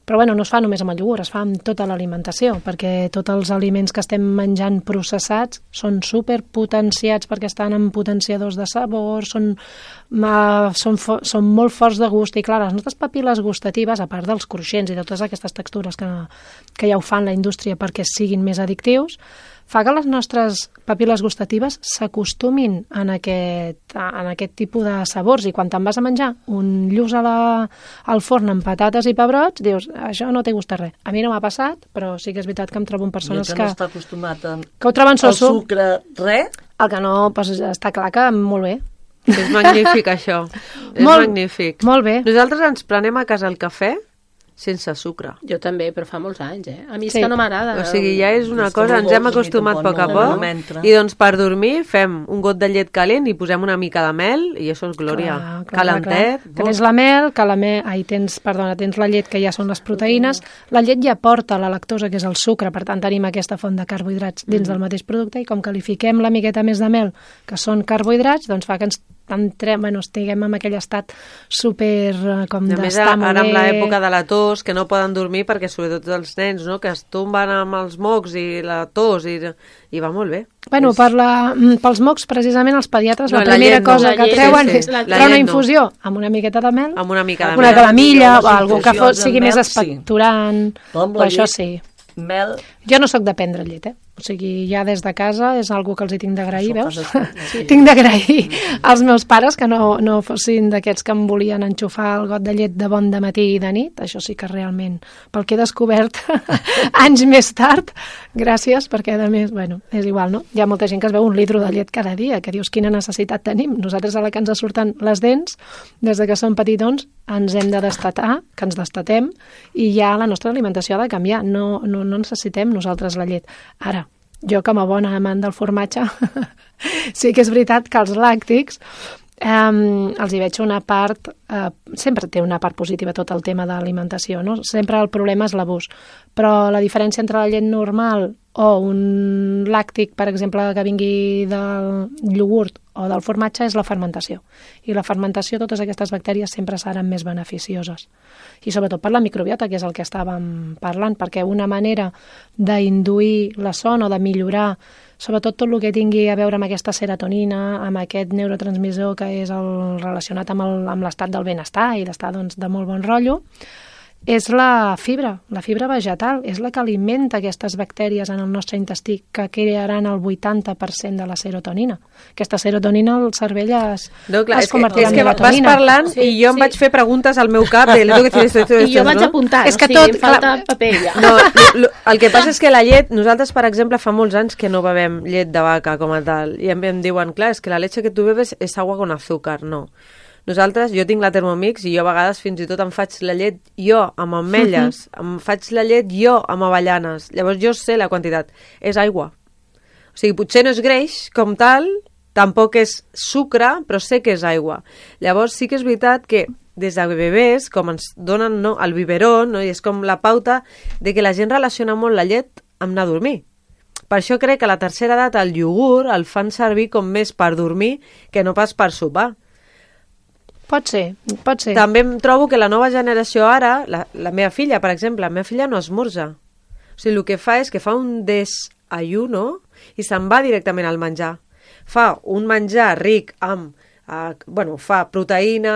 Però bueno, no es fa només amb el iogurt, es fa amb tota l'alimentació, perquè tots els aliments que estem menjant processats són superpotenciats perquè estan en potenciadors de sabor, són molt forts de gust, i clar, les nostres papil·les gustatives, a part dels cruixents i de totes aquestes textures que ja ho fan la indústria perquè siguin més addictius, fa que les nostres papil·les gustatives s'acostumin en aquest tipus de sabors, i quan te'n vas a menjar un lluç al forn amb patates i pebrots, dius, això no té gustat res. A mi no m'ha passat, però sí que és veritat que em trobo amb persones que no està acostumat ho troben soso. El sucre, res? El que no, doncs està clar que molt bé. És magnífic, això. És magnífic. Molt bé. Nosaltres ens prenem a casa el cafè sense sucre. Jo també, però fa molts anys, A mi és Sí. que no m'agrada. O sigui, ja és una És cosa, com ens hem dolç, a mi acostumat a tampoc poc a no poc, m'entra. i doncs per dormir fem un got de llet calent i posem una mica de mel, i això és glòria. Calentet. Clar. Tens la mel, tens la llet, que ja són les proteïnes. La llet ja porta la lactosa, que és el sucre, per tant tenim aquesta font de carbohidrats dins del mateix producte, i com que li fiquem la miqueta més de mel, que són carbohidrats, doncs fa que estiguem en aquell estat super com A més, d'estar molt ara amb bé. l'època de la tos, que no poden dormir perquè sobretot els nens, no?, que es tomben amb els mocs i la tos, i va molt bé. Bueno, pels mocs, precisament, els pediatres, No, la la primera llet no. cosa La que llet, treuen sí. és La treure una llet no. infusió amb una miqueta de mel, Amb una mica de una mel. calamilla, o Les alguna que infusions sigui amb més mel, sí. expectorant, Però amb o la això llet, sí. Mel, Jo no sóc de prendre llet, O sigui, ja des de casa és algo que els hi tinc d'agrair, Això veus? passa sí. Tinc d'agrair als meus pares que no fossin d'aquests que em volien enxufar el got de llet de bon de matí i de nit. Això sí que realment, pel que he descobert anys més tard, gràcies, perquè a més, bueno, és igual, no? Hi ha molta gent que es veu un litro de llet cada dia, que dius quina necessitat tenim. Nosaltres, a la que ens surten les dents, des de que som petitons, ens hem de destatar, que ens destatem, i ja la nostra alimentació ha de canviar. No necessitem nosaltres la llet. Ara, jo com a bona amant del formatge, sí que és veritat que els làctics els hi veig una part, sempre té una part positiva tot el tema d'alimentació, no? Sempre el problema és l'abús, però la diferència entre la llet normal o un làctic, per exemple, que vingui del iogurt o del formatge és la fermentació. I la fermentació, totes aquestes bactèries sempre seran més beneficioses. I sobretot per la microbiota, que és el que estàvem parlant, perquè una manera d'induir la son o de millorar sobretot tot el que tingui a veure amb aquesta serotonina, amb aquest neurotransmissor que és el relacionat amb l'estat del benestar i d'estar doncs, de molt bon rotllo, és la fibra vegetal, és la que alimenta aquestes bactèries en el nostre intestí, que crearan el 80% de la serotonina. Aquesta serotonina al cervell es convertirà en melatonina. Vas parlant i jo em vaig fer preguntes al meu cap de tengo que decir esto, I jo vaig apuntar, és que o sigui, tot, em falta paper ja. No, el que passa és que la llet, nosaltres, per exemple, fa molts anys que no bevem llet de vaca com a tal, i em diuen, clar, és que la leche que tu bebes és agua con azúcar. No. Nosaltres, jo tinc la Thermomix i jo a vegades fins i tot em faig la llet jo amb ametlles, em faig la llet jo amb avellanes. Llavors jo sé la quantitat. És aigua. O sigui, potser no és greix com tal, tampoc és sucre, però sé que és aigua. Llavors sí que és veritat que des de bebès, com ens donen el biberó, no? I és com la pauta de que la gent relaciona molt la llet amb anar a dormir. Per això crec que a la tercera edat el iogurt el fan servir com més per dormir que no pas per sopar. Pot ser. També em trobo que la nova generació ara, la meva filla, per exemple, la meva filla no esmorza. O sigui, el que fa és que fa un desayuno i se'n va directament al menjar. Fa un menjar ric amb fa proteïna,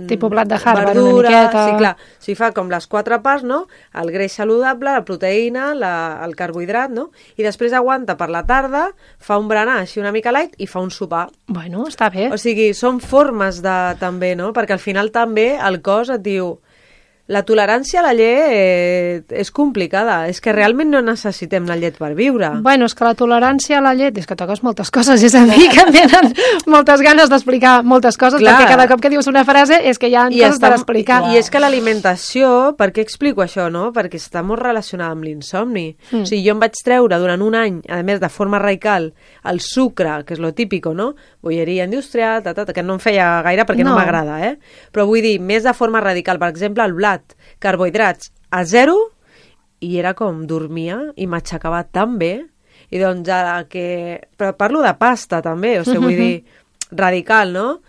tipus blat de Harvard, verdura, una miqueta. Sí, clar. O sigui, fa com les 4 parts, no? El greix saludable, la proteïna, el carbohidrat, no? I després aguanta per la tarda, fa un berenar així una mica light i fa un sopar. Bueno, està bé. O sigui, són formes de també, no? Perquè al final també el cos et diu la tolerància a la llet és complicada. És que realment no necessitem la llet per viure. Bueno, és que la tolerància a la llet és que toques moltes coses. És a dir, que em venen moltes ganes d'explicar moltes coses, Clar. perquè cada cop que dius una frase és que hi ha coses per explicar. I és que l'alimentació, per què explico això, no? Perquè està molt relacionada amb l'insomni. O sigui, jo em vaig treure durant un any, a més de forma radical, el sucre, que és lo típico, no? Bolleria industrial, que no em feia gaire perquè no m'agrada, Però vull dir, més de forma radical, per exemple, el blat, carbohidrats a 0, i era com dormia i m'aixecava tan bé, i doncs però parlo de pasta també, o sigui, vull dir, radical, no?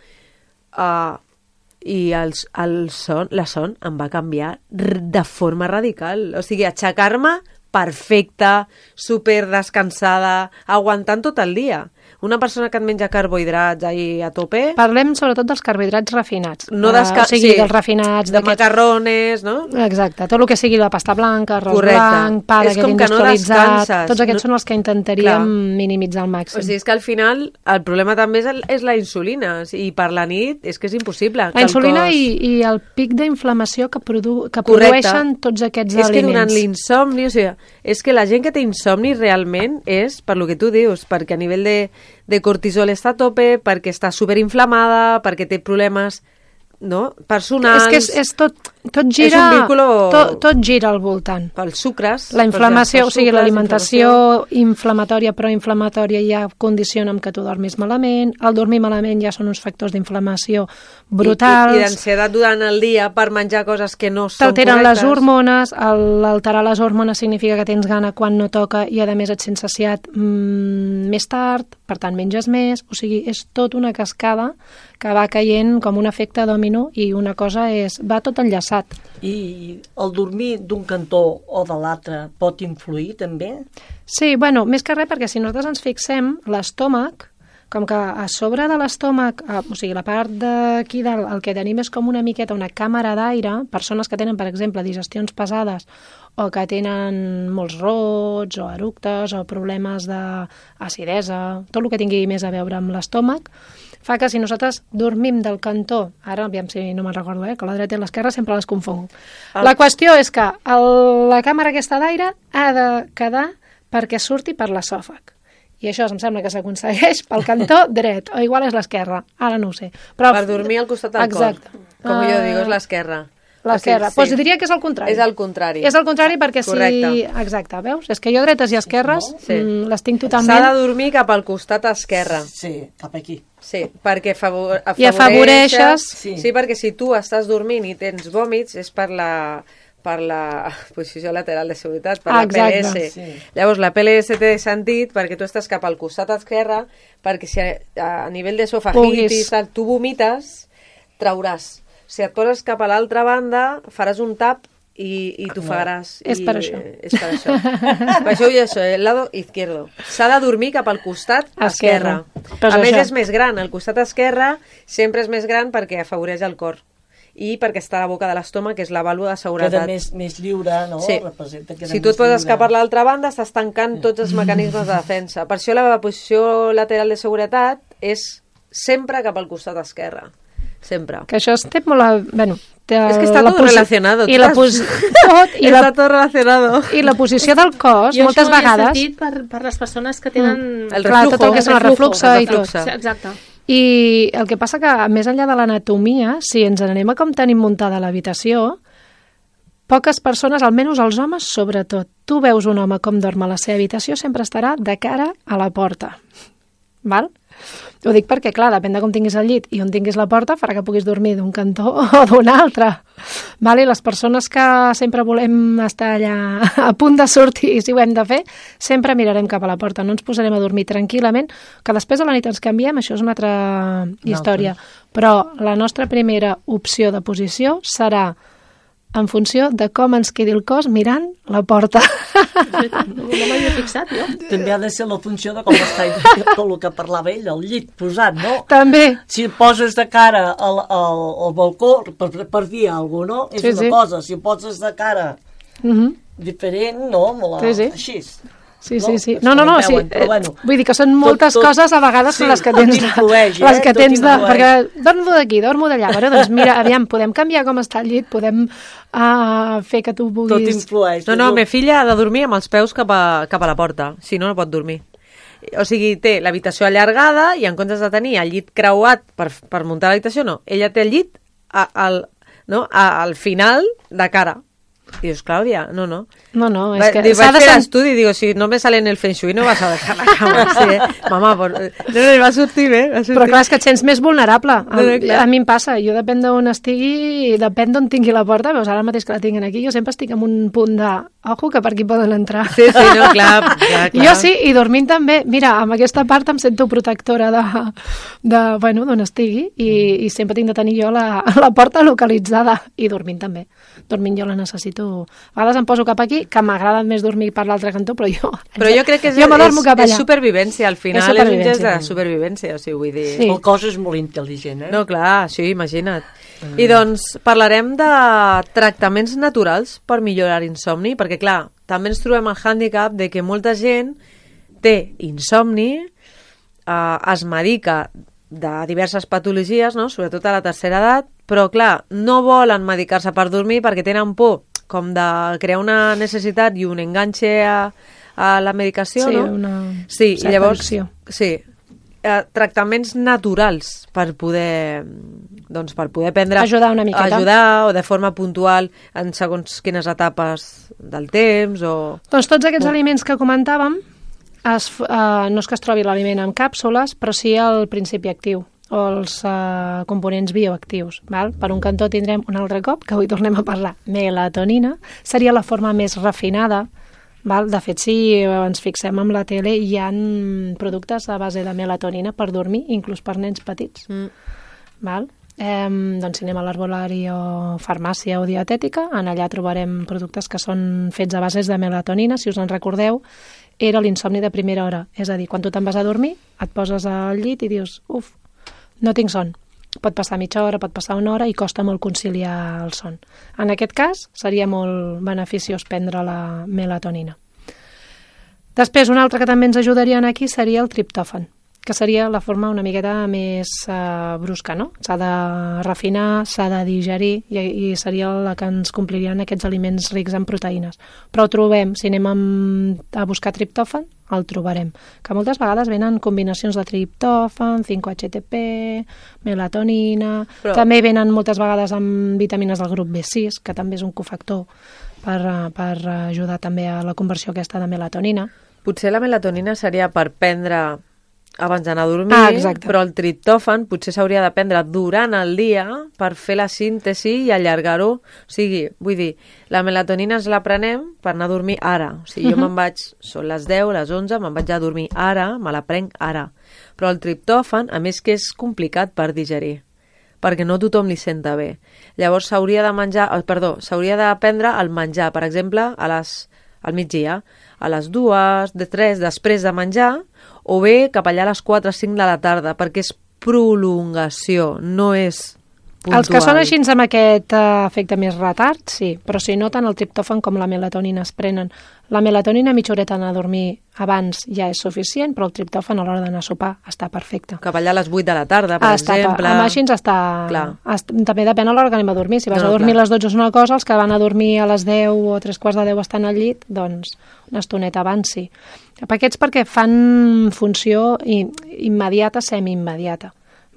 I la son em va canviar de forma radical, o sigui, aixecar-me perfecta, super descansada, aguantant tot el dia. Una persona que et menja carbohidrats ahí a tope... Parlem sobretot dels carbohidrats refinats. No o sigui, dels refinats... De macarrones, no? Exacte, tot el que sigui la pasta blanca, arròs blanc, pa d'aquest industrialitzat... Tots aquests són els que intentaríem minimitzar al màxim. O sigui, és que al final el problema també és la insulina, i per la nit és que és impossible. La insulina i el pic d'inflamació que produeixen tots aquests aliments. És que durant l'insomni, o sigui, és que la gent que té insomni realment és per lo que tu dius, perquè a nivell de cortisol està a tope, perquè està superinflamada, perquè té problemes personals... És que tot gira, tot gira al voltant. Pels sucres. La inflamació, o sigui, l'alimentació inflamatòria, proinflamatòria ja condiciona amb que tu dormis malament, el dormir malament ja són uns factors d'inflamació brutals. I d'ansietat durant el dia per menjar coses que no són correctes. T'alteren les hormones, alterar les hormones significa que tens gana quan no toca i a més et sents saciat més tard, per tant menges més, o sigui, és tot una cascada que va caient com un efecte domino i una cosa va tot enllaçat. I el dormir d'un cantó o de l'altre pot influir també? Sí, bueno, més que res perquè si nosaltres ens fixem, l'estómac, com que a sobre de l'estómac, o sigui, la part d'aquí dalt, el que tenim és com una miqueta una càmera d'aire, persones que tenen, per exemple, digestions pesades o que tenen molts rots o eructes o problemes d'acidesa, tot el que tingui més a veure amb l'estómac, fa que si nosaltres dormim del cantó, ara, aviam si no me'n recordo, que la dreta i l'esquerra sempre les confongo. La qüestió és que la càmera aquesta d'aire ha de quedar perquè surti per l'esòfag. I això em sembla que s'aconsegueix pel cantó dret, o igual és l'esquerra, ara no ho sé. Però, per dormir al costat del cor. Com jo dic, és l'esquerra. L'esquerra. Doncs diria que és el contrari. És el contrari. És el contrari perquè si... Exacte, veus? És que jo dretes i esquerres les tinc totalment... S'ha de dormir cap al costat esquerre. Sí, cap aquí. Sí, perquè i afavoreixes... Sí, perquè si tu estàs dormint i tens vòmits és per la posició lateral de seguretat, per la PLS. Sí. Llavors, la PLS té sentit perquè tu estàs cap al costat esquerre, perquè si a nivell d'esofagitis tu vomites, trauràs. Si et poses cap a l'altra banda, faràs un tap i t'ofegaràs. És per això. És per això. Per això el lado izquierdo. S'ha de dormir cap al costat esquerre. A més, és més gran. El costat esquerre sempre és més gran perquè afavoreix el cor. I perquè està a la boca de l'estómac, que és la vàlvula de seguretat. Queda més lliure, no? Sí. Si tu et poses cap a l'altra banda, estàs tancant tots els mecanismes de defensa. Per això la posició lateral de seguretat és sempre cap al costat esquerre. Sempre. Que això té molt... Bueno, és que està tot relacionado. Està tot relacionado. I la posició del cos, moltes vegades... Jo això ho he sentit per les persones que tenen... El reflujo. Tot el que és el refluxe i tot. Sí, exacte. I el que passa que, més enllà de l'anatomia, si ens anem a com tenim muntada l'habitació, poques persones, almenys els homes, sobretot, tu veus un home com dorm a la seva habitació, sempre estarà de cara a la porta. Val? Ho dic perquè, clar, depèn de com tinguis el llit i on tinguis la porta, farà que puguis dormir d'un cantó o d'un altre. Val? I les persones que sempre volem estar allà a punt de sortir, si ho hem de fer, sempre mirarem cap a la porta, no ens posarem a dormir tranquil·lament, que després de la nit ens canviem, això és una altra història. Però la nostra primera opció de posició serà en funció de com ens quedi el cos mirant la porta. No m'havia fixat, jo. També ha de ser la funció de com està tot el que parlava ell, el llit posat, no? També. Si et poses de cara al balcó, per dir alguna cosa, no? És una cosa. Si et poses de cara diferent, no? Així. Sí. No, sí. Bueno, vull dir que són moltes coses a vegades les que tens perquè dormo d'aquí, dormo d'allà. Bueno, doncs mira, aviam, podem canviar com està el llit, podem fer que tu vulguis... Tot influeix. No, ma filla ha de dormir amb els peus cap a la porta, si no, no pot dormir. O sigui, té l'habitació allargada i en comptes de tenir el llit creuat per muntar l'habitació, no. Ella té el llit al final de cara. Y dius, Clàudia, no. No, és que s'ha de fer l'estudi, digo, si no me sale en el Feng Shui no vas a dejar la cama. Sí, mamà, no, va sortir bé. Però clar, és que et sents més vulnerable. A mi em passa, jo depèn d'on estigui, depèn d'on tingui la porta, veus, ara mateix que la tinguin aquí, jo sempre estic en un punt de Ojo, que per aquí poden entrar. Sí, no, clar. Jo sí, i dormint també. Mira, amb aquesta part em sento protectora bueno, d'on estigui i sempre tinc de tenir jo la porta localitzada. I dormint també. Dormint jo la necessito. A vegades em poso cap aquí, que m'agrada més dormir per l'altre cantó, però jo crec que és supervivència, al final és un gest de supervivència, o sigui, vull dir... Sí. El cos és molt intel·ligent, No, clar, sí, imagina't. I doncs parlarem de tractaments naturals per millorar l'insomni, perquè clar, també ens trobem el hàndicap de que molta gent té insomni, es medica de diverses patologies, no? Sobretot a la tercera edat, però clar, no volen medicar-se per dormir perquè tenen por com de crear una necessitat i un enganxe a la medicació, no? Sí, llavors, sí, tractaments naturals per poder prendre... Ajudar una miqueta. Ajudar, o de forma puntual en segons quines etapes del temps, o... Doncs tots aquests aliments que comentàvem, no és que es trobi l'aliment en càpsules, però sí el principi actiu, o els components bioactius. Val? Per un cantó tindrem un altre cop, que avui tornem a parlar, melatonina, seria la forma més refinada. Val? De fet, si ens fixem en la tele, hi ha productes a base de melatonina per dormir, inclús per nens petits. Val? Doncs si anem a l'herbolari o farmàcia o dietètica, en allà trobarem productes que són fets a bases de melatonina. Si us en recordeu, era l'insomni de primera hora. És a dir, quan tu te'n vas a dormir, et poses al llit i dius, no tinc son. Pot passar mitja hora, pot passar una hora i costa molt conciliar el son. En aquest cas, seria molt beneficiós prendre la melatonina. Després, un altre que també ens ajudaria aquí seria el triptòfan, que seria la forma una miqueta més brusca, no? S'ha de refinar, s'ha de digerir i seria la que ens complirien aquests aliments rics en proteïnes. Però ho trobem, si anem a buscar triptòfan, el trobarem. Que moltes vegades venen combinacions de triptòfan, 5-HTP, melatonina... Però... També venen moltes vegades amb vitamines del grup B6, que també és un cofactor per ajudar també a la conversió aquesta de melatonina. Potser la melatonina seria per prendre abans d'anar a dormir, però el triptòfan potser s'hauria de prendre durant el dia per fer la síntesi i allargar-ho. O sigui, vull dir, la melatonina ens la prenem per anar a dormir ara. O sigui, jo me'n vaig, són les 10, les 11, me'n vaig a dormir ara, me la prenc ara. Però el triptòfan, a més que és complicat per digerir, perquè no tothom li senta bé. Llavors s'hauria de prendre el menjar, per exemple, al migdia, a les 2, 3, després de menjar, o bé cap allà a les 4 o 5 de la tarda, perquè és prolongació, no és puntual. Els que són així amb aquest efecte més retard, sí, però si no, tant el triptòfan com la melatonina es prenen. La melatonina mitja horeta anar a dormir abans ja és suficient, però el triptòfan a l'hora d'anar a sopar està perfecte. Cap allà a les 8 de la tarda, per exemple. Amb així està... També depèn a l'hora que anem a dormir. Si vas a dormir a les 12 és una cosa, els que van a dormir a les 10 o 3:15 estan al llit, doncs una estoneta abans sí. Aquests perquè fan funció immediata, semi-immediata.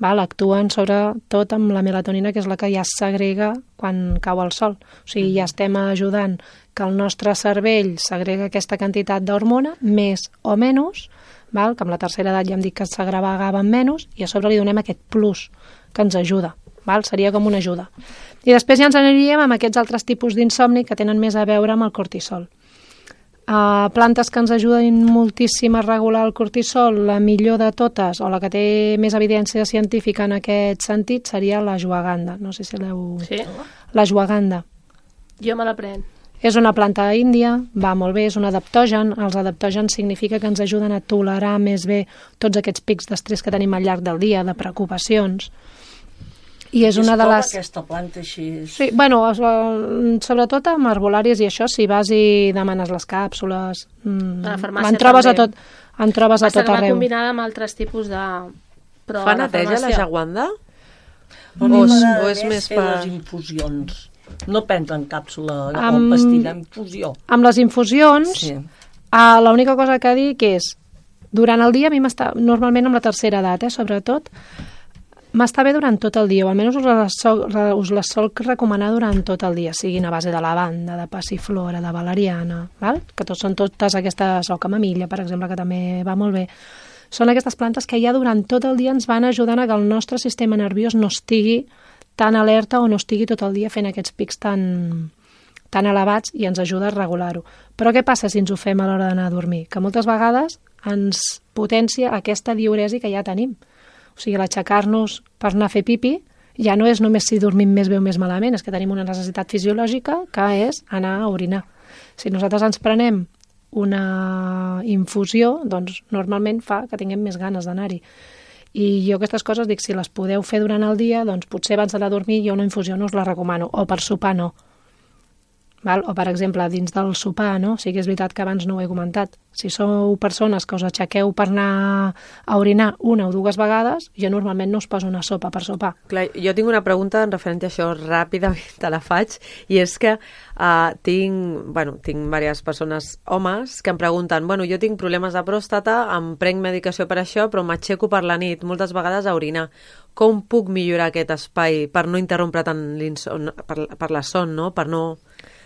Actuen sobretot amb la melatonina, que és la que ja segrega quan cau el sol. O sigui, ja estem ajudant que el nostre cervell segrega aquesta quantitat d'hormona, més o menys, que amb la tercera edat ja hem dit que s'agregaven menys, i a sobre li donem aquest plus que ens ajuda. Seria com una ajuda. I després ja ens aniríem amb aquests altres tipus d'insomni que tenen més a veure amb el cortisol. Plantes que ens ajuden moltíssim a regular el cortisol, la millor de totes, o la que té més evidència científica en aquest sentit, seria l'ashwagandha. No sé si l'heu... Sí. L'ashwagandha. Jo me la prenc. És una planta índia, va molt bé, és un adaptogen. Els adaptògens significa que ens ajuden a tolerar més bé tots aquests pics d'estrès que tenim al llarg del dia, de preocupacions. I és una de les... aquesta planta així... Sí, bueno, sobretot amb herbolàries i això, si vas i demanes les càpsules... A la farmàcia en trobes a tot arreu. Combinada amb altres tipus de... Fa neteja la ashwagandha? O és més per... les infusions. No prenen càpsula o pastilla, infusió. Amb les infusions, sí. L'única cosa que dic és, durant el dia, a mi m'està, normalment amb la tercera edat, sobretot, m'està bé durant tot el dia, o almenys us les sol recomanar durant tot el dia, siguin a base de lavanda, de passiflora, de valeriana, que són totes aquestes, o camamilla, per exemple, que també va molt bé. Són aquestes plantes que ja durant tot el dia ens van ajudant a que el nostre sistema nerviós no estigui tan alerta o no estigui tot el dia fent aquests pics tan tan elevats i ens ajuda a regular-ho. Però què passa si ens ho fem a l'hora d'anar a dormir? Que moltes vegades ens potencia aquesta diuresi que ja tenim. O sigui, l'aixecar-nos per anar a fer pipi ja no és només si dormim més bé o més malament, és que tenim una necessitat fisiològica que és anar a orinar. Si nosaltres ens prenem una infusió, doncs normalment fa que tinguem més ganes d'anar-hi. I jo aquestes coses dic, si les podeu fer durant el dia, doncs potser abans d'anar a dormir jo una infusió no us la recomano, o per sopar no. Val? O, per exemple, dins del sopar, no? Sí que és veritat que abans no ho he comentat. Si sou persones que us aixequeu per anar a orinar una o dues vegades, jo normalment no us poso una sopa per sopar. Clar, jo tinc una pregunta en referència a això, ràpidament te la faig, i és que tinc diverses persones, homes, que em pregunten, jo tinc problemes de pròstata, em prenc medicació per això, però m'aixeco per la nit, moltes vegades a orinar. Com puc millorar aquest espai per no interrompre tant per la son, no? Per no...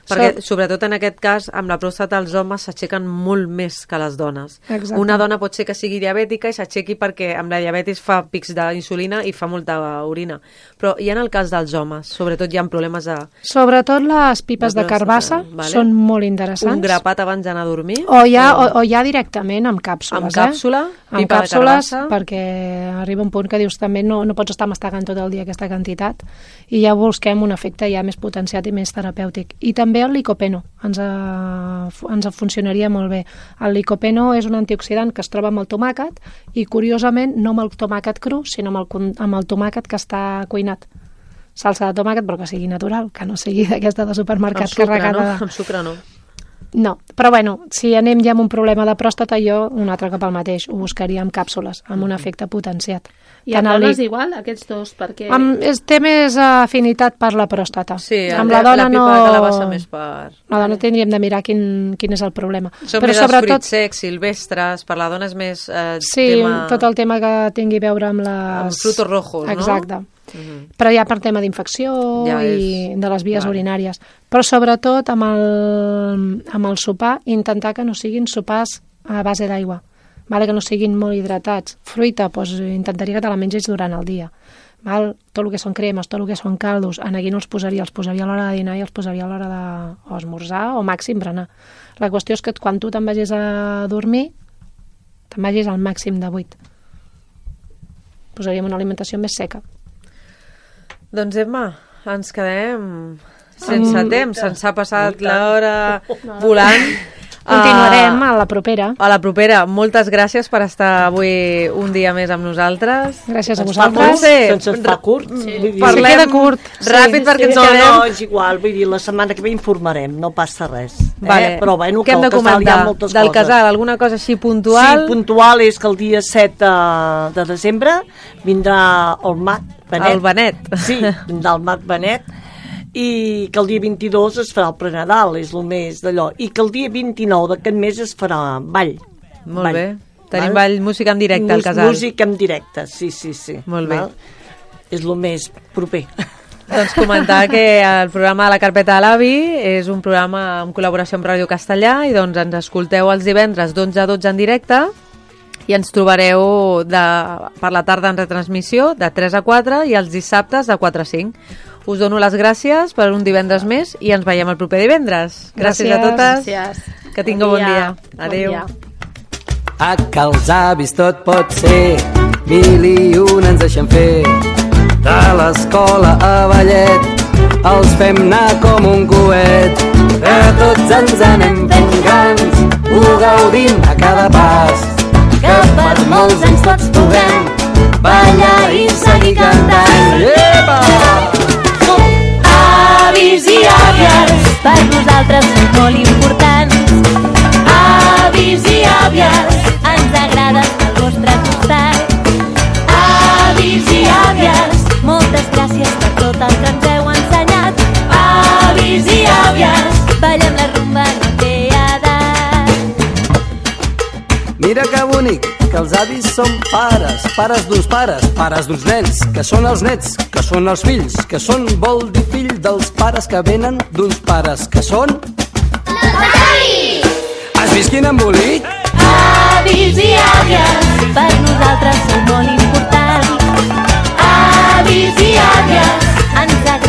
Perquè, sobretot en aquest cas, amb la pròstata els homes s'aixequen molt més que les dones. Exacte. Una dona pot ser que sigui diabètica i s'aixequi perquè amb la diabetis fa pics d'insulina i fa molta orina. Però i en el cas dels homes, sobretot hi ha problemes de... Sobretot les pipes de carbassa són molt interessants. Un grapat abans d'anar a dormir? O ja directament amb càpsules. Amb càpsula? Amb càpsules, perquè arriba un punt que dius també no pots estar mastegant tot el dia aquesta quantitat i ja busquem un efecte ja més potenciat i més terapèutic. I també el licopeno ens funcionaria molt bé. El licopeno és un antioxidant que es troba amb el tomàquet i, curiosament, no amb el tomàquet cru, sinó amb el tomàquet que està cuinat. Salsa de tomàquet, però que sigui natural, que no sigui d'aquesta de supermercat carregada. Amb sucre no. No, però si anem ja amb un problema de pròstata, jo un altre cop el mateix, ho buscaria amb càpsules, amb un efecte potenciat. I amb dones igual, aquests dos, perquè... Té més afinitat per la pròstata. Sí, amb la dona la pipa que la bassa més per... La dona tindríem de mirar quin és el problema. Són més els fruits secs, silvestres, per la dona és més... tot el tema que tingui a veure amb amb frutos rojos, no? Exacte. Però ja per tema d'infecció i de les vies urinàries. Però sobretot amb el sopar, intentar que no siguin sopars a base d'aigua, que no siguin molt hidratats. Fruita, intentaria que te la mengis durant el dia. Tot el que són cremes, tot el que són caldos, aquí no els posaria a l'hora de dinar i els posaria a l'hora d'esmorzar o màxim berenar. La qüestió és que quan tu te'n vagis a dormir, te'n vagis al màxim de 8. Posaríem una alimentació més seca. Doncs Emma, ens quedem sense temps, se'ns ha passat l'hora volant. Continuarem a la propera. A la propera. Moltes gràcies per estar avui un dia més amb nosaltres. Gràcies a vosaltres. Se'ns fa curt. Queda curt. Ràpid perquè ens quedem. No, és igual, vull dir, la setmana que ve informarem, no passa res. Però bueno, què hem de comentar del casal? Alguna cosa així puntual? Sí, puntual és que el dia 7 de desembre vindrà el Mat Benet. El Benet. Sí, vindrà el Mat Benet. I que el dia 22 es farà el prenadal, és el mes d'allò, i que el dia 29 d'aquest mes es farà ball. Molt bé. Tenim ball, música en directe al casal. Música en directe, sí. Molt bé. És el més proper. Doncs comentar que el programa de la Carpeta de l'Avi és un programa en col·laboració amb Ràdio Castellà i doncs ens escolteu els divendres d'11 a 12 en directe i ens trobareu per la tarda en retransmissió de 3 a 4 i els dissabtes de 4 a 5. Us dono les gràcies per un divendres més i ens veiem el proper divendres. Gràcies a totes. Gràcies. Que tingueu bon dia. Adéu. A que els avis tot pot ser, 1001 ens deixen fer. De l'escola a ballet, els fem anar com un coet. Que tots ens anem fent grans, ho gaudim a cada pas. Que per molts anys tots puguem ballar i seguir cantant. Epa! Avis i àvies, per nosaltres són molt importants. Avis i àvies, ens agrada estar al vostre costat. Avis i àvies, moltes gràcies per tot el que ens heu ensenyat. Avis i àvies, ballem la rumba, no té edat. Mira que bonic, que els avis són pares, pares d'uns pares, pares d'uns nens, que són els nets, que són els fills, que són, vol dir, fill dels pares que venen d'uns pares, que són... Els avis! Has vist quin embolic? Avis i àvies, per nosaltres són molt importants. Avis i àvies, ens agrada